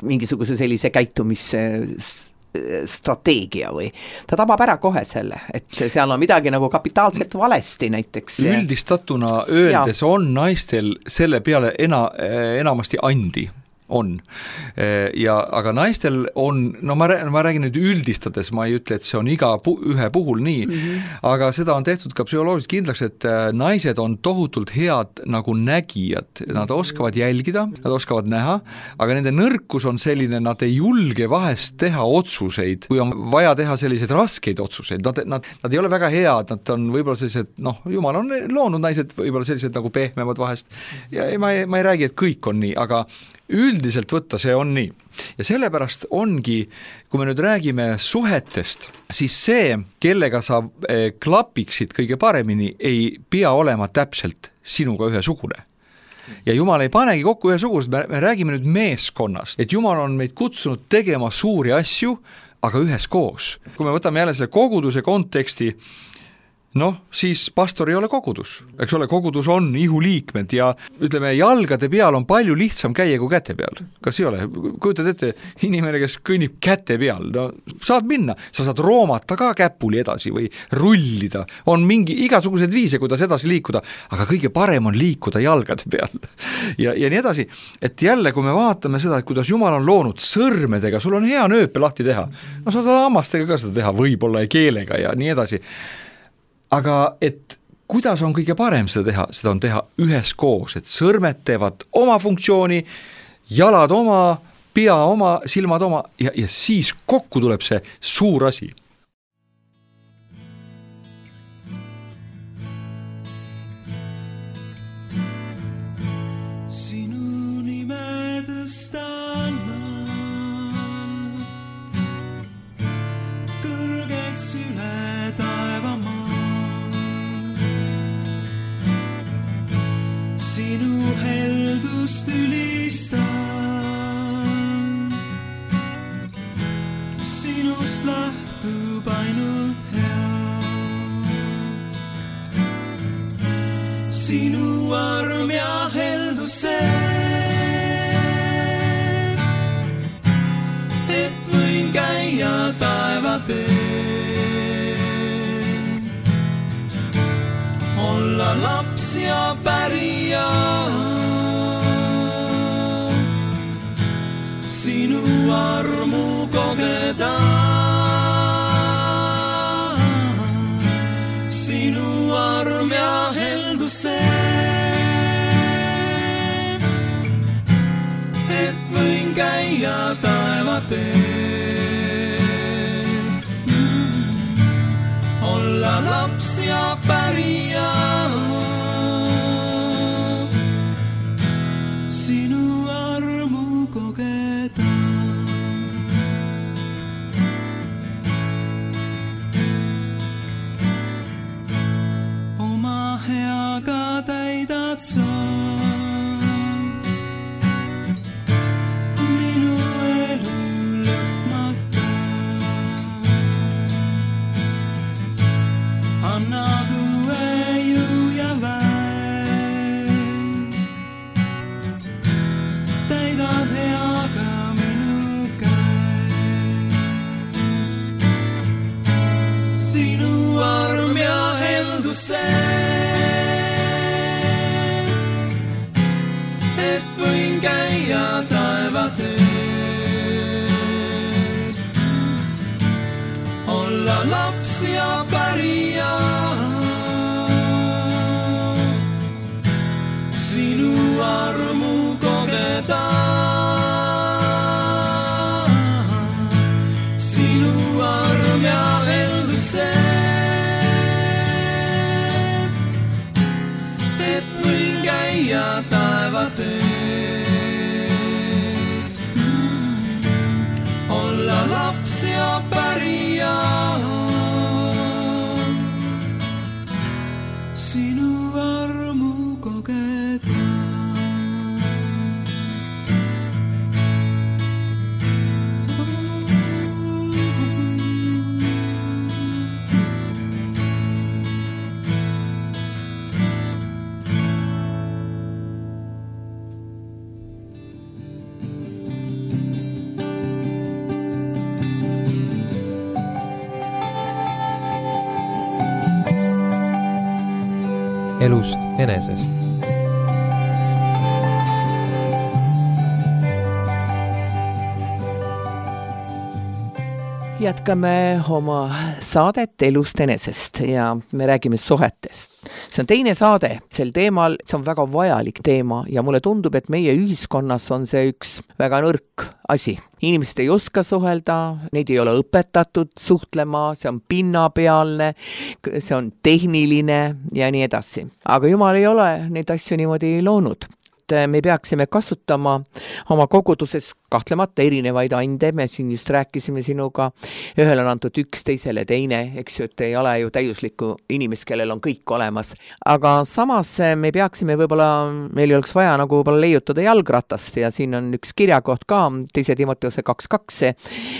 mingisuguse sellise käitumise strateegia või ta tabab ära kohe selle, et seal on midagi nagu kapitaalselt valesti näiteks. Üldistatuna öeldes ja. On naistel selle peale ena, enamasti andi. On. Ja, aga naistel on, no ma, ma räägin nüüd üldistades, ma ei ütle, et see on iga pu, ühe puhul nii, mm-hmm. aga seda on tehtud ka psühholoogiliselt kindlaks, et naised on tohutult head nagu nägijad, nad oskavad jälgida, nad oskavad näha, aga nende nõrkus on selline, nad ei julge vahest teha otsuseid, kui on vaja teha selliseid raskeid otsuseid, nad, nad, nad ei ole väga head, nad on võib-olla sellised, noh, jumal on loonud naised võib-olla sellised nagu pehmemad vahest ja ma ei, ma ei räägi, et kõik on nii, aga üldiselt võtta see on nii. Ja sellepärast ongi, kui me nüüd räägime suhetest, siis see, kellega sa klapiksid kõige paremini, ei pea olema täpselt sinuga ühesugune. Ja Jumal ei panegi kokku ühesugused, me, me räägime nüüd meeskonnast, et Jumal on meid kutsunud tegema suuri asju, aga üheskoos. Kui me võtame jälle selle koguduse konteksti, noh, siis pastor ei ole kogudus, eks ole, kogudus on ihuliikmed ja ütleme, jalgade peal on palju lihtsam käia kui käte peal. Kas ei ole? Kujutad ette, inimene, kes kõnnib käte peal, no saad minna, sa saad roomata ka käpuli edasi või rullida, on mingi igasugused viise, kuidas edasi liikuda, aga kõige parem on liikuda jalgade peal. Ja, ja nii edasi, et jälle, kui me vaatame seda, et kuidas Jumal on loonud sõrmedega, sul on hea nööpe lahti teha, no sa saad hammastega ka seda teha, võib-olla ja keelega ja nii edasi. Aga et kuidas on kõige parem seda teha, seda on teha üheskoos, et sõrmed teevad oma funktsiooni, jalad oma, pea oma, silmad oma ja, ja siis kokku tuleb see suur asi. läks üle taevamaa. Sinu heldust ülistan, sinust lähtub ainult hea. Sinu arm ja heldus see, et võin käia taevateel, olla laps ja pärija. Sinu armu kogeda, sinu arm ja heldus see, et võin käia taevateel, olla laps ja pärija. Sinu armu kogeda. Oma heaga täidad sa minu elu lõpmata. Annad uue jõu ja väen, täidad heaga minu käed. Sinu arm ja heldus see, et võin käia taevateel, olla laps ja pärija. Sinu armu kogeda, sinu arm ja heldus see, et võin käia taevateel, olla laps ja pärija. Sinu armu kogeda. Elust enesest. Jätkame oma saadet Elust enesest ja me räägime suhetest. See on teine saade sel teemal, see on väga vajalik teema ja mulle tundub, et meie ühiskonnas on see üks väga nõrk asi. Inimesed ei oska suhelda, neid ei ole õpetatud suhtlema, see on pinnapealne, see on tehniline ja nii edasi. Aga Jumal ei ole neid asju niimoodi loonud. Me peaksime kasutama oma koguduses kahtlemata erinevaid ande, me siin just rääkisime sinuga, ühel on antud üks, teisele teine, eks ju, et ei ole ju täiuslikku inimest, kellel on kõik olemas. Aga samas me peaksime võib-olla, meil ei oleks vaja nagu võib-olla leiutada jalgratast ja siin on üks kirjakoht ka, teise Timoteuse kaks kaks,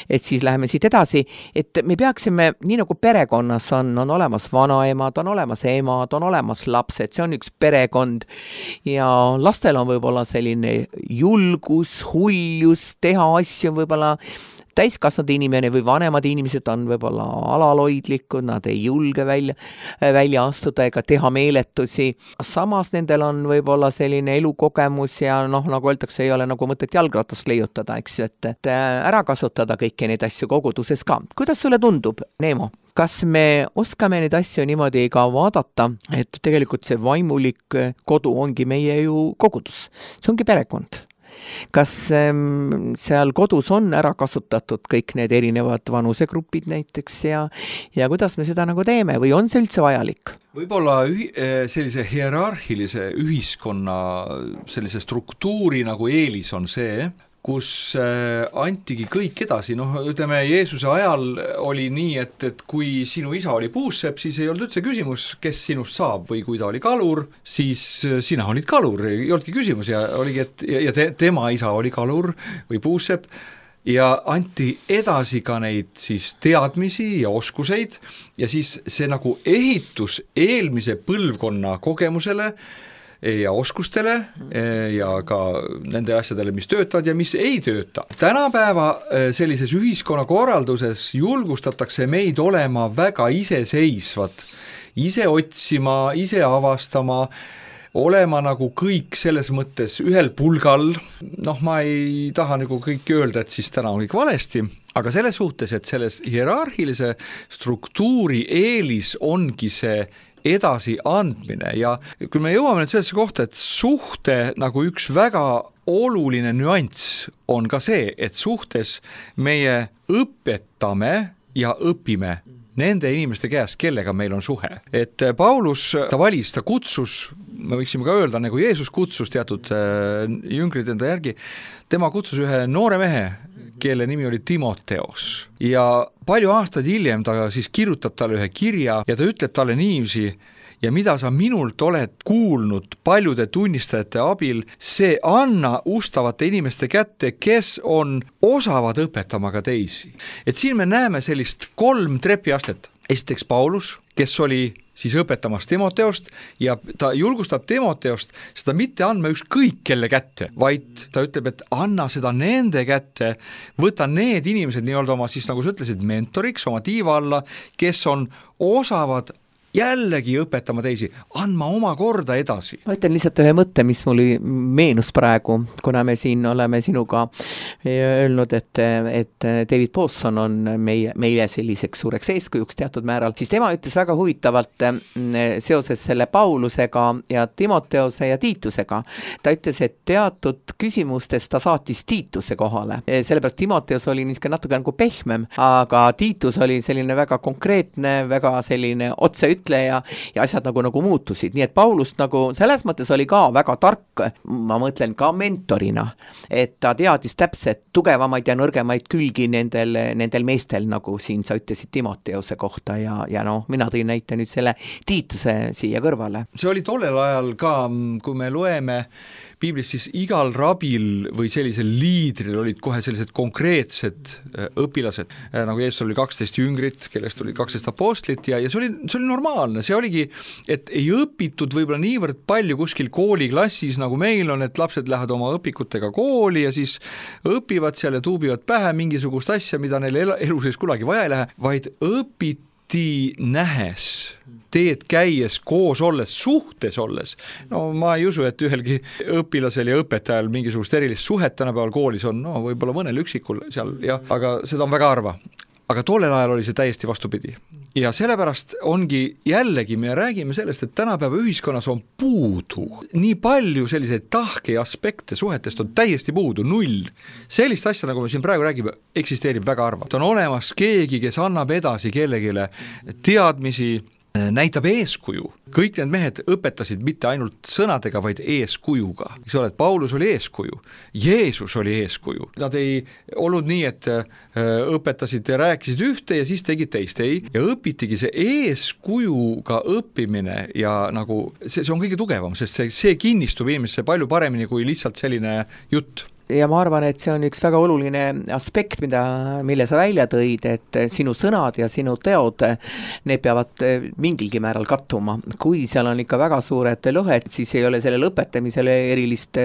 et siis läheme siit edasi, et me peaksime, nii nagu perekonnas on, on olemas vanaemad, on olemas emad, on olemas lapsed, see on üks perekond ja lastel on võib-olla selline julgus, huljus, teha asju võib-olla täiskasvanud inimene või vanemad inimesed on võib-olla alaloidlikud, nad ei julge välja, välja astuda ega teha meeletusi. Samas nendel on võib-olla selline elukogemus ja noh, nagu öeldakse, ei ole nagu mõtet jalgratast leiutada, eks ju, et, et ära kasutada kõiki neid asju koguduses ka. Kuidas sulle tundub, Neemo? Kas me oskame neid asju niimoodi ka vaadata, et tegelikult see vaimulik kodu ongi meie ju kogudus, see ongi perekond? Kas ähm, seal kodus on ära kasutatud kõik need erinevad vanusegrupid näiteks ja, ja kuidas me seda nagu teeme või on see üldse vajalik? Võib-olla ühi, sellise hierarhilise ühiskonna sellise struktuuri nagu eelis on see, kus antigi kõik edasi, noh ütleme Jeesuse ajal oli nii, et, et kui sinu isa oli puussepp, siis ei olnud üldse küsimus, kes sinust saab või kui ta oli kalur, siis sina olid kalur, ei olnudki küsimus ja oligi, et ja te, tema isa oli kalur või puussepp ja anti edasi ka neid siis teadmisi ja oskuseid ja siis see nagu ehitus eelmise põlvkonna kogemusele ja oskustele ja ka nende asjadele, mis töötavad ja mis ei tööta. Tänapäeva sellises ühiskonnakorralduses julgustatakse meid olema väga iseseisvad, ise otsima, ise avastama, olema nagu kõik selles mõttes ühel pulgal, noh ma ei taha nagu kõik öelda, et siis täna on kõik valesti, aga selles suhtes, et selles hierarhilise struktuuri eelis ongi see edasi andmine ja kui me jõuame nüüd sellesse kohta, et suhte nagu üks väga oluline nüanss on ka see, et suhtes meie õpetame ja õpime nende inimeste käest, kellega meil on suhe. Et Paulus, ta valis, ta kutsus, me võiksime ka öelda, nagu Jeesus kutsus teatud jüngrid enda järgi, tema kutsus ühe noore mehe, kelle nimi oli Timoteos ja palju aastaid hiljem ta siis kirjutab talle ühe kirja ja ta ütleb talle niiviisi ja mida sa minult oled kuulnud paljude tunnistajate abil, see anna ustavate inimeste kätte, kes on osavad õpetama ka teisi. Et siin me näeme sellist kolm trepiastet. Esiteks Paulus, kes oli siis õpetamas Timoteost ja ta julgustab Timoteost seda mitte andma ükskõik kelle kätte, vaid ta ütleb, et anna seda nende kätte, võta need inimesed nii-öelda oma siis nagu sa ütlesid mentoriks, oma tiiva alla, kes on osavad jällegi õpetama teisi, andma oma korda edasi. Ma ütlen lihtsalt ühe mõtte, mis mul meenus praegu, kuna me siin oleme sinuga öelnud, et, et David Pawson on meie, meie selliseks suureks eeskujuks teatud määral, siis tema ütles väga huvitavalt seoses selle Paulusega ja Timoteose ja Tiitusega. Ta ütles, et teatud küsimustes ta saatis Tiituse kohale. Sellepärast Timoteos oli niisugune natuke nagu pehmem, aga Tiitus oli selline väga konkreetne, väga selline otse ütleja ja asjad nagu, nagu muutusid. Nii et Paulus nagu selles mõttes oli ka väga tark, ma mõtlen ka mentorina, et ta teadis täpselt tugevamaid ja nõrgemaid külgi nendel, nendel meestel, nagu siin sa ütlesid Timoteose kohta ja, ja noh, mina tõin näite nüüd selle Tiituse siia kõrvale. See oli tollel ajal ka, kui me loeme piiblis, siis igal rabil või sellisel liidril olid kohe sellised konkreetsed õpilased, nagu Jeesus oli kaksteist jüngrit, kellest oli kaksteist apostlit ja, ja see oli, see oli normaalne, see oligi, et ei õpitud võib-olla niivõrd palju kuskil kooliklassis, nagu meil on, et lapsed lähevad oma õpikutega kooli ja siis õpivad seal ja tuubivad pähe mingisugust asja, mida neil elu sees kunagi vaja ei lähe, vaid õpiti nähes, teed käies, koos olles, suhtes olles. No ma ei usu, et ühelgi õpilasel ja õpetajal mingisugust erilist suhet tänapäeval koolis on, no võib-olla mõnel üksikul seal, jah, aga seda on väga harva. Aga tollel ajal oli see täiesti vastupidi. Ja sellepärast ongi jällegi, me räägime sellest, et tänapäeva ühiskonnas on puudu. Nii palju selliseid tahke ja aspekte suhetest on täiesti puudu, null. Sellist asja, nagu me siin praegu räägime, eksisteerib väga harva. On olemas keegi, kes annab edasi kellegile teadmisi, näitab eeskuju. Kõik need mehed õpetasid mitte ainult sõnadega, vaid eeskujuga. Eks ole, et Paulus oli eeskuju, Jeesus oli eeskuju. Nad ei olnud nii, et õpetasid ja rääkisid ühte ja siis tegid teist, ei. Ja õpitigi see eeskujuga õppimine ja nagu see, see on kõige tugevam, sest see, see kinnistub inimesse palju paremini kui lihtsalt selline jutt. Ja ma arvan, et see on üks väga oluline aspekt, mida, mille sa välja tõid, et sinu sõnad ja sinu teod, need peavad mingilgi määral kattuma. Kui seal on ikka väga suured lõhed, siis ei ole sellele õpetamisele erilist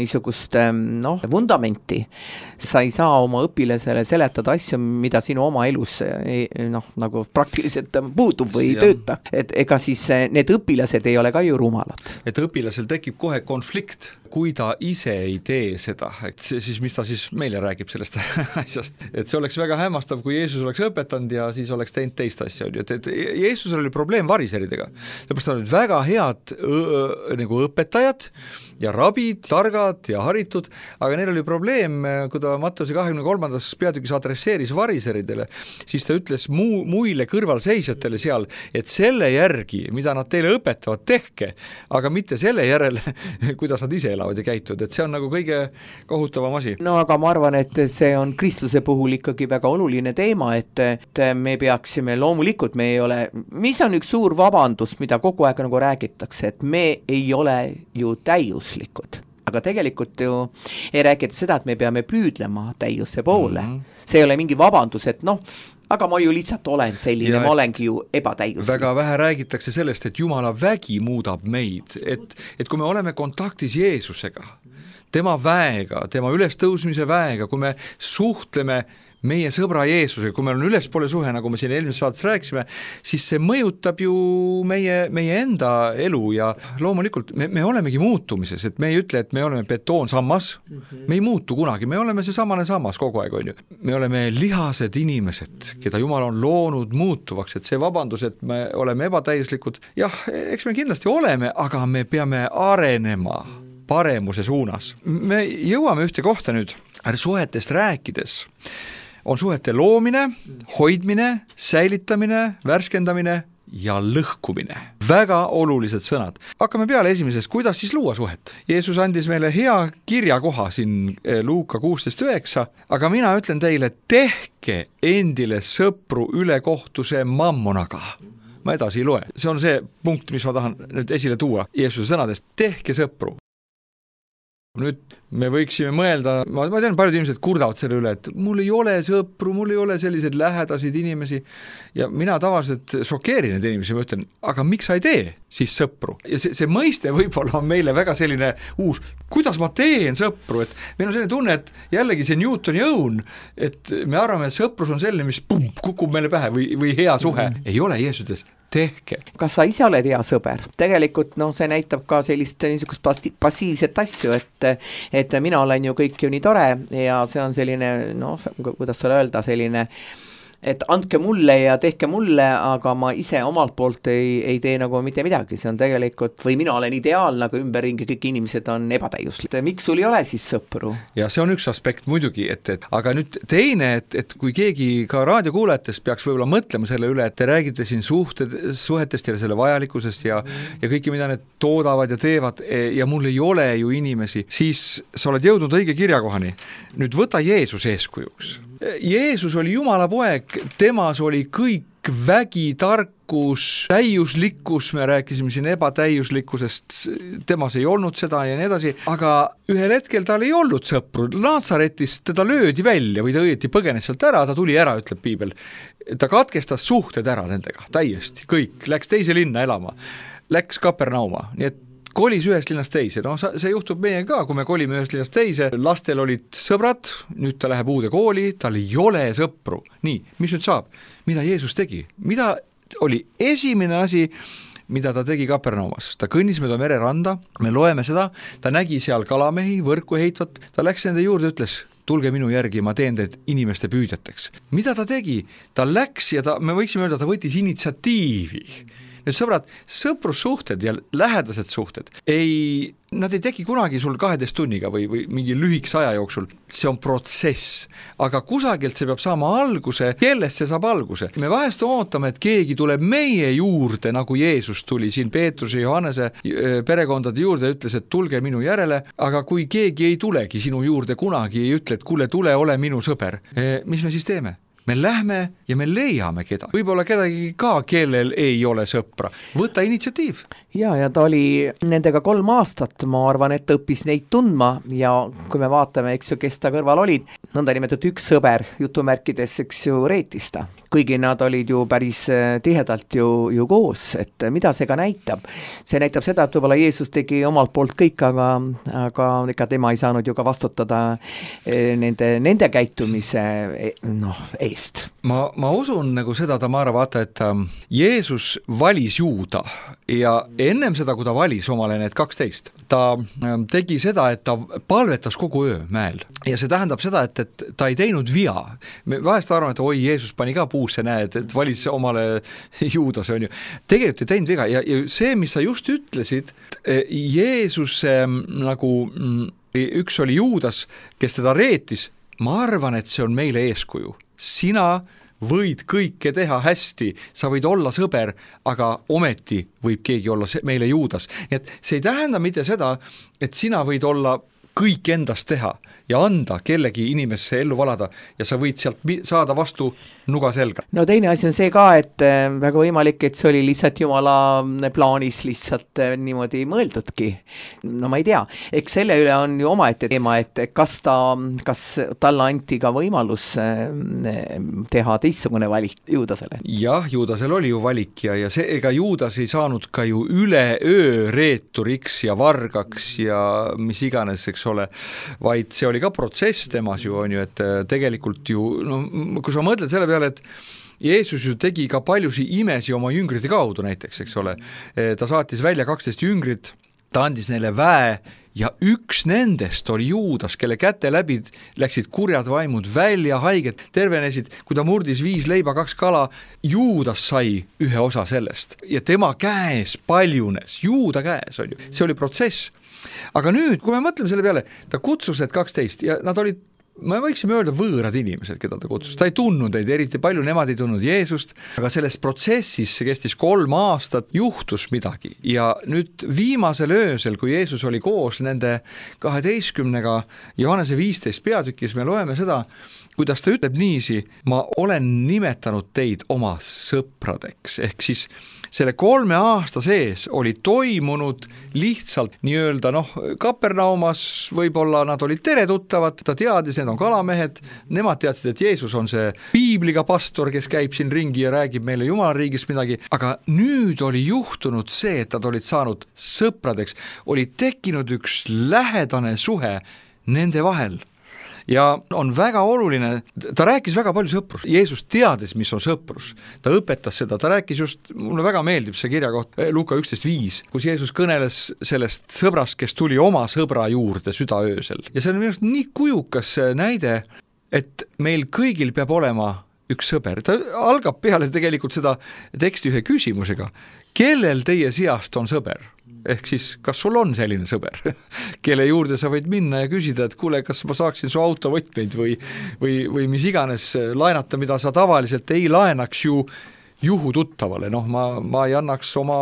niisugust noh, vundamenti. Sa ei saa oma õpilasele seletada asju, mida sinu oma elus noh, nagu praktiliselt puudub või ei tööta. Et ega siis need õpilased ei ole ka ju rumalad. Et õpilasel tekib kohe konflikt, kui ta ise ei tee seda, et siis mis ta siis meile räägib sellest asjast, et see oleks väga hämmastav, kui Jeesus oleks õpetanud ja siis oleks teinud teist asja, et, et Jeesusel oli probleem variseridega, sellepärast on väga head õõ, nagu õpetajad ja rabid, targad ja haritud, aga neil oli probleem, kui ta Matteuse kahekümne kolmandas peatükis adresseeris variseridele, siis ta ütles muu, muile kõrvalseisjatele seal, et selle järgi, mida nad teile õpetavad, tehke, aga mitte selle järele, kuidas nad ise elavad ja käituvad, et see on nagu kõige kohutavam asi. no aga ma arvan, et see on kristluse puhul ikkagi väga oluline teema, et, et me peaksime, loomulikult me ei ole, mis on üks suur vabandus, mida kogu aeg nagu räägitakse, et me ei ole ju täiuslikud. Aga tegelikult ju ei räägita seda, et me peame püüdlema täiuse poole. Mm-hmm. See ei ole mingi vabandus, et noh, aga ma ju lihtsalt olen selline, ja ma olengi ju ebatäiuslik. Väga vähe räägitakse sellest, et Jumala vägi muudab meid, et, et kui me oleme kontaktis Jeesusega, tema väega, tema ülestõusmise väega, kui me suhtleme meie sõbra Jeesusega, kui meil on ülespoole suhe, nagu me siin eelmises saates rääkisime, siis see mõjutab ju meie, meie enda elu ja loomulikult me, me olemegi muutumises, et me ei ütle, et me oleme betoonsammas, mm-hmm. me ei muutu kunagi, me oleme see samane sammas kogu aeg, on ju. Me oleme lihased inimesed, keda Jumal on loonud muutuvaks, et see vabandus, et me oleme ebatäislikud, jah, eks me kindlasti oleme, aga me peame arenema paremuse suunas. Me jõuame ühte kohta nüüd, suhetest rääkides. On suhete loomine, hoidmine, säilitamine, värskendamine ja lõhkumine. Väga olulised sõnad. Hakkame peale esimesest, kuidas siis luua suhet. Jeesus andis meile hea kirjakoha siin Luuka kuusteist üheksa, aga mina ütlen teile, tehke endile sõpru ülekohtuse mammonaga. Ma edasi ei loe. See on see punkt, mis ma tahan nüüd esile tuua Jeesuse sõnadest. Tehke sõpru. Nüüd me võiksime mõelda, ma, ma tean, paljud inimesed kurdavad selle üle, et mul ei ole sõpru, mul ei ole selliseid lähedasid inimesi ja mina tavaliselt šokeerin need inimesi, ma ütlen, aga miks sa ei tee siis sõpru? Ja see, see mõiste võib-olla on meile väga selline uus, kuidas ma teen sõpru, et meil on selline tunne, et jällegi see Newtoni õun, et me arvame, et sõprus on selline, mis pum, kukub meile pähe või, või hea suhe, mm. ei ole Jeesuses. Tehke. Kas sa ise oled hea sõber? Tegelikult no, see näitab ka sellist niisugust passiivset asju, et, et mina olen ju kõik ju nii tore ja see on selline, no kuidas sulle öelda, selline et andke mulle ja tehke mulle, aga ma ise omalt poolt ei, ei tee nagu mitte midagi, see on tegelikult, või mina olen ideaalne, aga ümberringi kõik inimesed on ebatäiuslik. Miks sul ei ole siis sõpru? Ja see on üks aspekt muidugi, et, et aga nüüd teine, et, et kui keegi ka raadiokuulajatest peaks võib-olla mõtlema selle üle, et te räägite siin suhted, suhetest ja selle vajalikkusest ja, mm. ja kõiki, mida need toodavad ja teevad ja mul ei ole ju inimesi, siis sa oled jõudnud õige kirjakohani. Nüüd võta Jeesus eeskujuks. Jeesus oli Jumala poeg, temas oli kõik vägi, tarkus, täiuslikkus, me rääkisime siin ebatäiuslikkusest, temas ei olnud seda ja nii edasi, aga ühel hetkel tal ei olnud sõpru, Nazaretist teda löödi välja või ta õieti põgenes sealt ära, ta tuli ära, ütleb piibel, ta katkestas suhted ära nendega, täiesti, kõik, läks teise linna elama, läks Kapernauma, nii et kolis ühest linnast teise, no see juhtub meie ka, kui me kolime ühest linnast teise, lastel olid sõbrad, nüüd ta läheb uude kooli, tal ei ole sõpru. Nii, mis nüüd saab? Mida Jeesus tegi? Mida oli esimene asi, mida ta tegi Kapernaumas? Ta kõnnis mööda mereranda, me loeme seda, ta nägi seal kalamehi, võrku heitvat, ta läks nende juurde, ütles, tulge minu järgi, ma teen teid inimeste püüdjateks. Mida ta tegi? Ta läks ja ta, me võiksime öelda, ta võttis initsiatiivi. Nüüd sõbrad, sõprussuhted ja lähedased suhted, ei, nad ei teki kunagi sul kaheteist tunniga või, või mingi lühikse aja jooksul. See on protsess, aga kusagilt see peab saama alguse, kellest see saab alguse. Me vahest ootame, et keegi tuleb meie juurde, nagu Jeesus tuli siin Peetruse ja Johannese perekondade juurde ja ütles, et tulge minu järele, aga kui keegi ei tulegi sinu juurde kunagi, ei ütle, et kuule, tule, ole minu sõber, mis me siis teeme? Me lähme ja me leiame keda. Võib-olla kedagi ka, kellel ei ole sõpra. Võta initsiatiiv. Ja, ja ta oli nendega kolm aastat, ma arvan, et õppis neid tundma ja kui me vaatame, eks ju, kes ta kõrval olid, nõnda nimetatud üks sõber jutumärkides, eks ju, reetista. Kuigi nad olid ju päris tihedalt ju, ju koos, et mida see ka näitab? See näitab seda, et võib-olla Jeesus tegi omalt poolt kõik, aga, aga ega tema ei saanud ju ka vastutada nende, nende käitumise noh, eest. Ma, ma usun nagu seda, Tamara, vaata, et Jeesus valis Juuda ja ennem seda, kui ta valis omale need kaksteist, ta tegi seda, et ta palvetas kogu öö mäel. Ja see tähendab seda, et, et ta ei teinud via. Me vahest arvame, et oi, Jeesus pani ka puusse, näed, et valis omale Juudase, on ju. Tegelikult ei teinud viga ja, ja see, mis sa just ütlesid, Jeesus nagu üks oli Juudas, kes teda reetis, ma arvan, et see on meile eeskuju. Sina võid kõike teha hästi, sa võid olla sõber, aga ometi võib keegi olla meile Juudas. Nii et see ei tähenda mitte seda, et sina võid olla kõik endast teha ja anda kellegi inimesse ellu valada ja sa võid sealt saada vastu nuga selga. No teine asi on see ka, et väga võimalik, et see oli lihtsalt Jumala plaanis lihtsalt niimoodi mõeldudki. No ma ei tea, eks selle üle on ju omaette teema, et kas ta, kas talle anti ka võimalus teha teistsugune valik Juudasele. Jah, Juudasel oli ju valik ja, ja see, ega Juudas ei saanud ka ju üle öö reeturiks ja vargaks ja mis iganes, eks ole, vaid see oli ka protsess temas ju on ju, et tegelikult ju, no kui sa mõtled selle peale, et Jeesus ju tegi ka paljusi imesi oma jüngrite kaudu näiteks, eks ole, ta saatis välja kaksteist jüngrit, ta andis neile väe ja üks nendest oli Juudas, kelle käte läbi läksid kurjad vaimud välja, haiged tervenesid, kui ta murdis viis leiba, kaks kala, Juudas sai ühe osa sellest ja tema käes paljunes, Juuda käes on ju, see oli protsess. Aga nüüd, kui me mõtleme selle peale, ta kutsus need kaksteist ja nad olid, me võiksime öelda võõrad inimesed, keda ta kutsus. Ta ei tundnud neid eriti palju, nemad ei tundnud Jeesust, aga selles protsessis, see kestis kolm aastat, juhtus midagi. Ja nüüd viimasel öösel, kui Jeesus oli koos nende kaheteistkümnega Johannese viisteist peatükis, me loeme seda, kuidas ta ütleb niisi, ma olen nimetanud teid oma sõpradeks, ehk siis selle kolme aasta sees oli toimunud lihtsalt nii-öelda noh, Kapernaumas võib-olla nad olid teretuttavad, ta teadis, need on kalamehed, nemad teadsid, et Jeesus on see piibliga pastor, kes käib siin ringi ja räägib meile Jumala riigist midagi, aga nüüd oli juhtunud see, et nad olid saanud sõpradeks, oli tekkinud üks lähedane suhe nende vahel. Ja on väga oluline, ta rääkis väga palju sõprus, Jeesus teadis, mis on sõprus, ta õpetas seda, ta rääkis just, mulle väga meeldib see kirja koht, Luuka üksteist viis, kus Jeesus kõneles sellest sõbrast, kes tuli oma sõbra juurde südaöösel. Ja see on minu arust nii kujukas näide, et meil kõigil peab olema üks sõber, ta algab peale tegelikult seda teksti ühe küsimusega, kellel teie seast on sõber? Ehk siis, kas sul on selline sõber, kelle juurde sa võid minna ja küsida, et kuule, kas ma saaksin su autovõtmeid või, või, või mis iganes laenata, mida sa tavaliselt ei laenaks ju juhututtavale, noh ma, ma ei annaks oma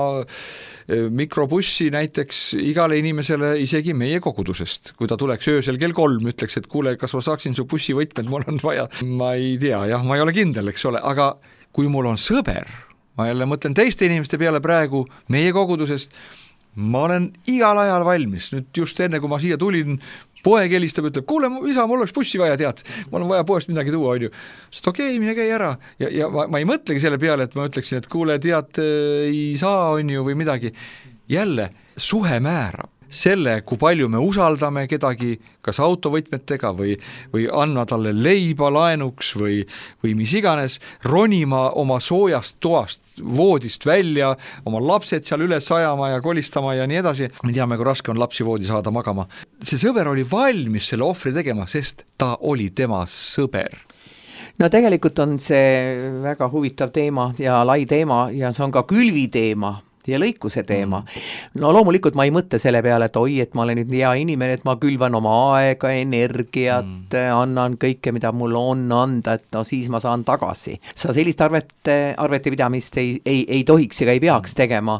mikrobussi näiteks igale inimesele isegi meie kogudusest, kui ta tuleks öösel kell kolm, ütleks, et kuule, kas ma saaksin su bussivõtmed, mul on vaja, ma ei tea, jah, ma ei ole kindel, eks ole, aga kui mul on sõber, ma jälle mõtlen teiste inimeste peale praegu meie kogudusest, ma olen igal ajal valmis, nüüd just enne kui ma siia tulin, poeg helistab, ütleb, kuule isa, mul oleks bussi vaja, tead, mul on vaja poest midagi tuua, on ju. Sest okei, okay, mine käi ära ja, ja ma, ma ei mõtlegi selle peale, et ma ütleksin, et kuule, tead, ei saa, on ju, või midagi. Jälle, suhe määrab selle, kui palju me usaldame kedagi, kas autovõtmetega või, või anna talle leiba laenuks või, või mis iganes, ronima oma soojast toast, voodist välja, oma lapsed seal üles ajama ja kolistama ja nii edasi. Me teame, kui raske on lapsi voodi saada magama. See sõber oli valmis selle ohvri tegema, sest ta oli tema sõber. No tegelikult on see väga huvitav teema ja lai teema ja see on ka külvi teema ja lõikuse teema. No loomulikult ma ei mõtle selle peale, et oi, et ma olen nüüd hea inimene, et ma külvan oma aega, energiat, mm. annan kõike, mida mul on anda, et no siis ma saan tagasi. Sa sellist arvete, arvete pidamist ei, ei, ei tohiks ega ei peaks tegema.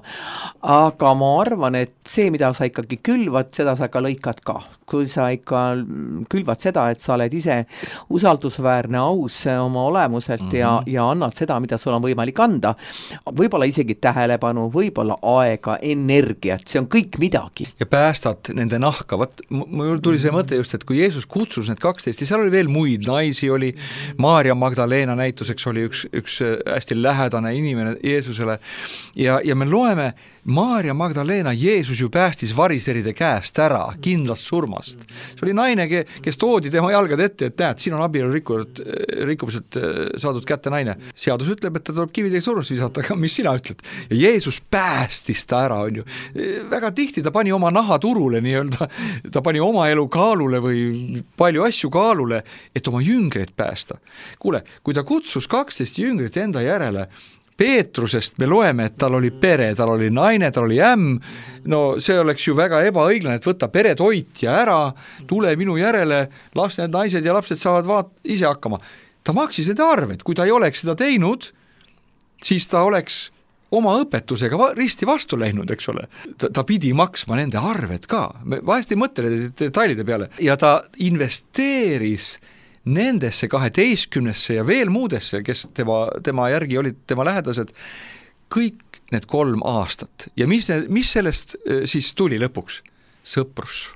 Aga ma arvan, et see, mida sa ikkagi külvad, seda sa ka lõikad ka. Kui sa ikka külvad seda, et sa oled ise usaldusväärne, aus oma olemuselt mm-hmm. ja, ja annad seda, mida sul on võimalik anda, võib-olla isegi tähelepanu, võib-olla aega, energiat, see on kõik midagi. Ja päästad nende nahka, vaat mul tuli see mõte just, et kui Jeesus kutsus need kaksteist, ja seal oli veel muid naisi, oli Maarja Magdalena näituseks oli üks, üks hästi lähedane inimene Jeesusele ja, ja me loeme, Maarja Magdalena Jeesus ju päästis variseride käest ära, kindlast surmast. See oli naine, kes toodi tema jalgad ette, et näed, siin on abielu rikkumiselt saadud kätte naine. Seadus ütleb, et ta tuleb kividega surmast visata, aga mis sina ütled? Ja Jeesus päästis ta ära, on ju. Väga tihti ta pani oma naha turule nii-öelda, ta pani oma elu kaalule või palju asju kaalule, et oma jüngreid päästa. Kuule, kui ta kutsus kaksteist jüngrit enda järele, Peetrusest me loeme, et tal oli pere, tal oli naine, tal oli ämm, no see oleks ju väga ebaõiglane, et võtta peretoitja ära, tule minu järele, las need naised ja lapsed saavad vaat ise hakkama. ta maksis need arved, kui ta ei oleks seda teinud, siis ta oleks oma õpetusega risti vastu läinud, eks ole. Ta, ta pidi maksma nende arved ka, me vahest ei mõtle detailide peale ja ta investeeris nendesse kaheteistkümnesse ja veel muudesse, kes tema, tema järgi olid tema lähedased, kõik need kolm aastat. Ja mis, mis sellest siis tuli lõpuks? Sõprus.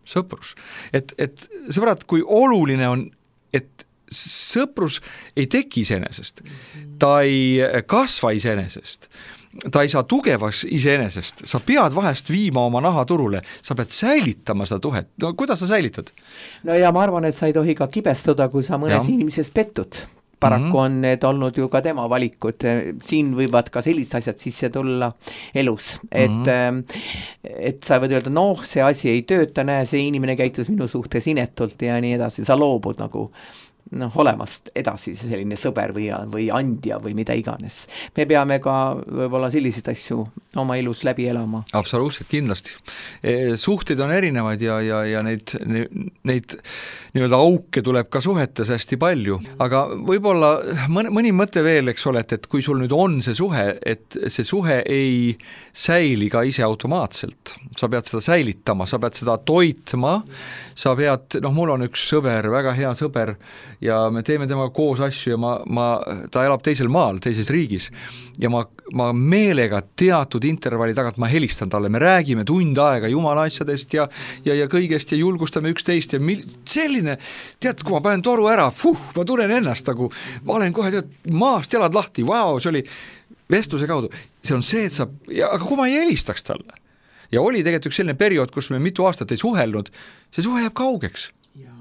Sõprus. Et, et sõbrad, kui oluline on, et sõprus ei teki iseenesest, ta ei kasva iseenesest, ta ei saa tugevaks iseenesest, sa pead vahest viima oma naha turule, sa pead säilitama seda tuhet. No kuidas sa säilitad? No ja ma arvan, et sa ei tohi ka kibestuda, kui sa mõnes ja. inimesest pettud. Paraku mm-hmm. on need olnud ju ka tema valikud, siin võivad ka sellised asjad sisse tulla elus, et, mm-hmm. et sa võid öelda, noh, see asi ei tööta, näe, see inimene käitus minu suhtes inetult ja nii edasi, sa loobud nagu noh, olemast edasi selline sõber või, või andja või mida iganes. Me peame ka võib-olla selliseid asju oma elus läbi elama. Absoluutselt, kindlasti. Suhteid on erinevaid ja, ja, ja neid, neid nii-öelda auke tuleb ka suhetes hästi palju, aga võib-olla mõni, mõni mõte veel, eks ole, et, et kui sul nüüd on see suhe, et see suhe ei säili ka ise automaatselt. Sa pead seda säilitama, sa pead seda toitma, sa pead, noh, mul on üks sõber, väga hea sõber, ja me teeme temaga koos asju ja ma, ma, ta elab teisel maal, teises riigis ja ma, ma meelega teatud intervalli tagant ma helistan talle, me räägime tund aega jumala asjadest ja, ja, ja kõigest ja julgustame üksteist ja mil, selline, tead, kui ma panen toru ära, fuh, ma tunnen ennast nagu, ma olen kohe tead, maast jalad lahti, vau, see oli vestluse kaudu, see on see, et sa, ja, aga kui ma ei helistaks talle ja oli tegelikult üks selline periood, kus me mitu aastat ei suhelnud, see suhe jääb kaugeks.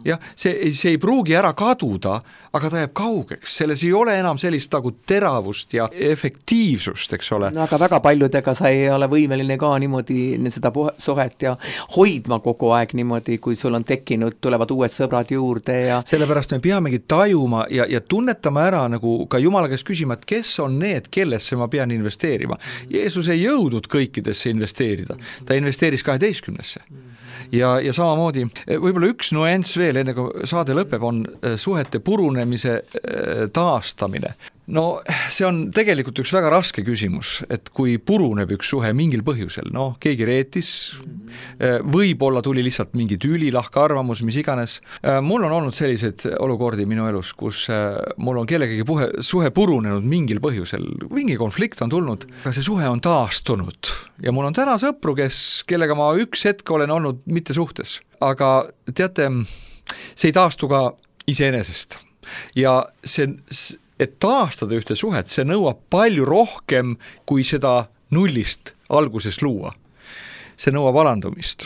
Jah, see, see ei pruugi ära kaduda, aga ta jääb kaugeks, selles ei ole enam sellist nagu teravust ja efektiivsust, eks ole. No aga väga paljudega sa ei ole võimeline ka niimoodi seda suhet ja hoidma kogu aeg niimoodi, kui sul on tekkinud, tulevad uued sõbrad juurde ja sellepärast me peamegi tajuma ja, ja tunnetama ära nagu ka Jumala käest küsima, et kes on need, kellesse ma pean investeerima. Jeesus ei jõudnud kõikidesse investeerida, ta investeeris kaheteistkümnesse. Ja, ja samamoodi, võib-olla üks nuanss veel, enne kui saade lõpeb, on suhete purunemise taastamine. No see on tegelikult üks väga raske küsimus, et kui puruneb üks suhe mingil põhjusel, noh, keegi reetis, võib-olla tuli lihtsalt mingi tüli, lahka arvamus, mis iganes. Mul on olnud selliseid olukordi minu elus, kus mul on kellegagi puhe, suhe purunenud mingil põhjusel, mingi konflikt on tulnud, aga see suhe on taastunud ja mul on täna sõpru, kes, kellega ma üks hetk olen olnud mitte suhtes, aga teate, see ei taastu ka iseenesest ja see et taastada ühte suhet, see nõuab palju rohkem, kui seda nullist alguses luua. See nõuab alandumist,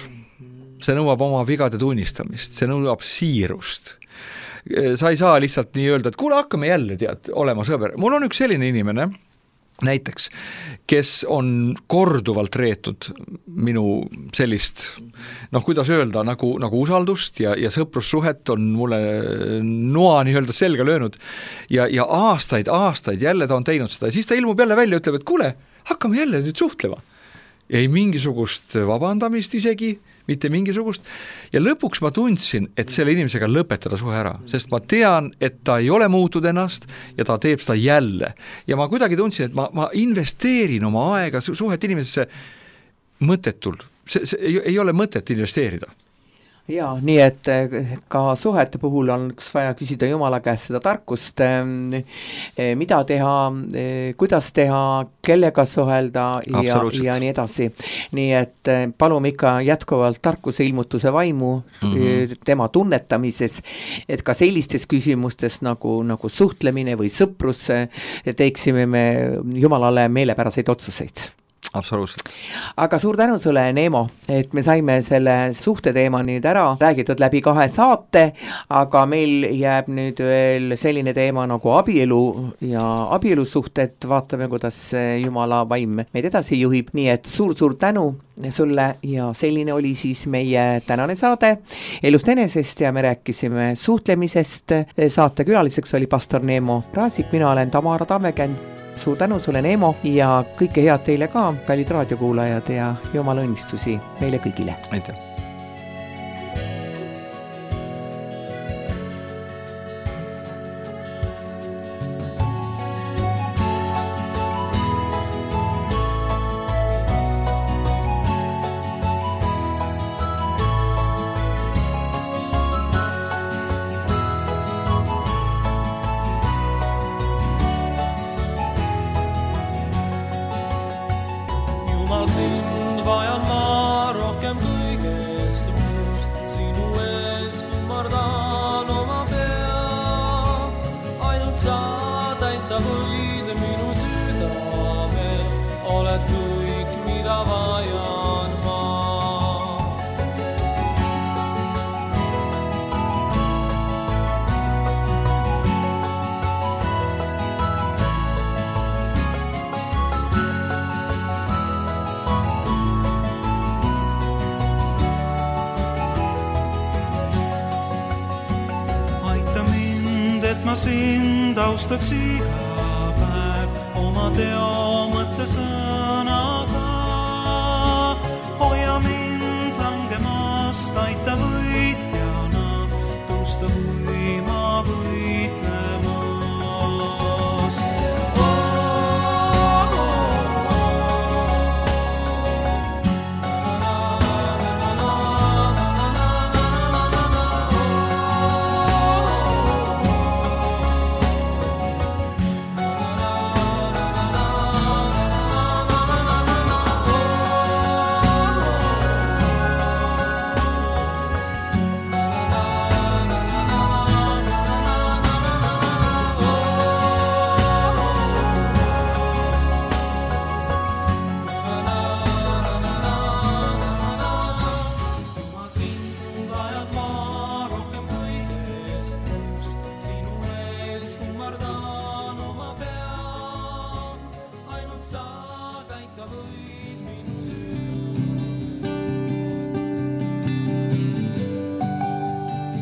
see nõuab oma vigade tunnistamist, see nõuab siirust. Sa ei saa lihtsalt nii öelda, et kuule, hakkame jälle tead, olema sõber. Mul on üks selline inimene, näiteks, kes on korduvalt reetud minu sellist, noh, kuidas öelda, nagu, nagu usaldust ja, ja sõprussuhet on mulle noa nii öelda selga löönud ja, ja aastaid, aastaid jälle ta on teinud seda ja siis ta ilmub jälle välja ja ütleb, et kuule, hakkame jälle nüüd suhtlema. Ei mingisugust vabandamist isegi, mitte mingisugust. Ja lõpuks ma tundsin, et selle inimesega lõpetada suhe ära, sest ma tean, et ta ei ole muutud ennast ja ta teeb seda jälle. Ja ma kuidagi tundsin, et ma, ma investeerin oma aega suhet inimesesse mõttetul. See, see ei, ei ole mõtet investeerida. Jaa, nii et ka suhete puhul on vaja küsida Jumala käest seda tarkust, mida teha, kuidas teha, kellega suhelda ja, ja nii edasi. Nii et palume ikka jätkuvalt tarkuse ilmutuse vaimu mm-hmm. tema tunnetamises, et ka sellistes küsimustes nagu, nagu suhtlemine või sõprus teeksime me Jumalale meelepäraseid otsuseid. Absoluutselt. Aga suur tänu sulle, Neemo, et me saime selle suhte teema nüüd ära räägitud läbi kahe saate, aga meil jääb nüüd veel selline teema nagu abielu ja abielusuhted, vaatame, kuidas Jumala vaim meid edasi juhib, nii et suur-suur tänu sulle ja selline oli siis meie tänane saade Elust enesest ja me rääkisime suhtlemisest. Saate külaliseks oli pastor Neemo Raasik, mina olen Tamara Tammekend. Suur tänu sulle, Neemo, ja kõike head teile ka, kallid raadiokuulajad, ja Jumala õnnistusi meile kõigile. Aitäh! minu südamel, oled kõik, mida vajan ma. Et ma sind austaks iga päev oma teo mõtte sõnaga. Hoia mind langemast, aita võitjana tõusta võima võitlemas.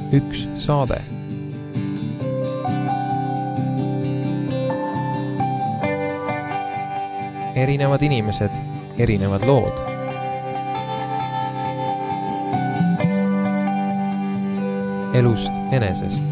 Üks saade. Erinevad inimesed, erinevad lood. Elust enesest.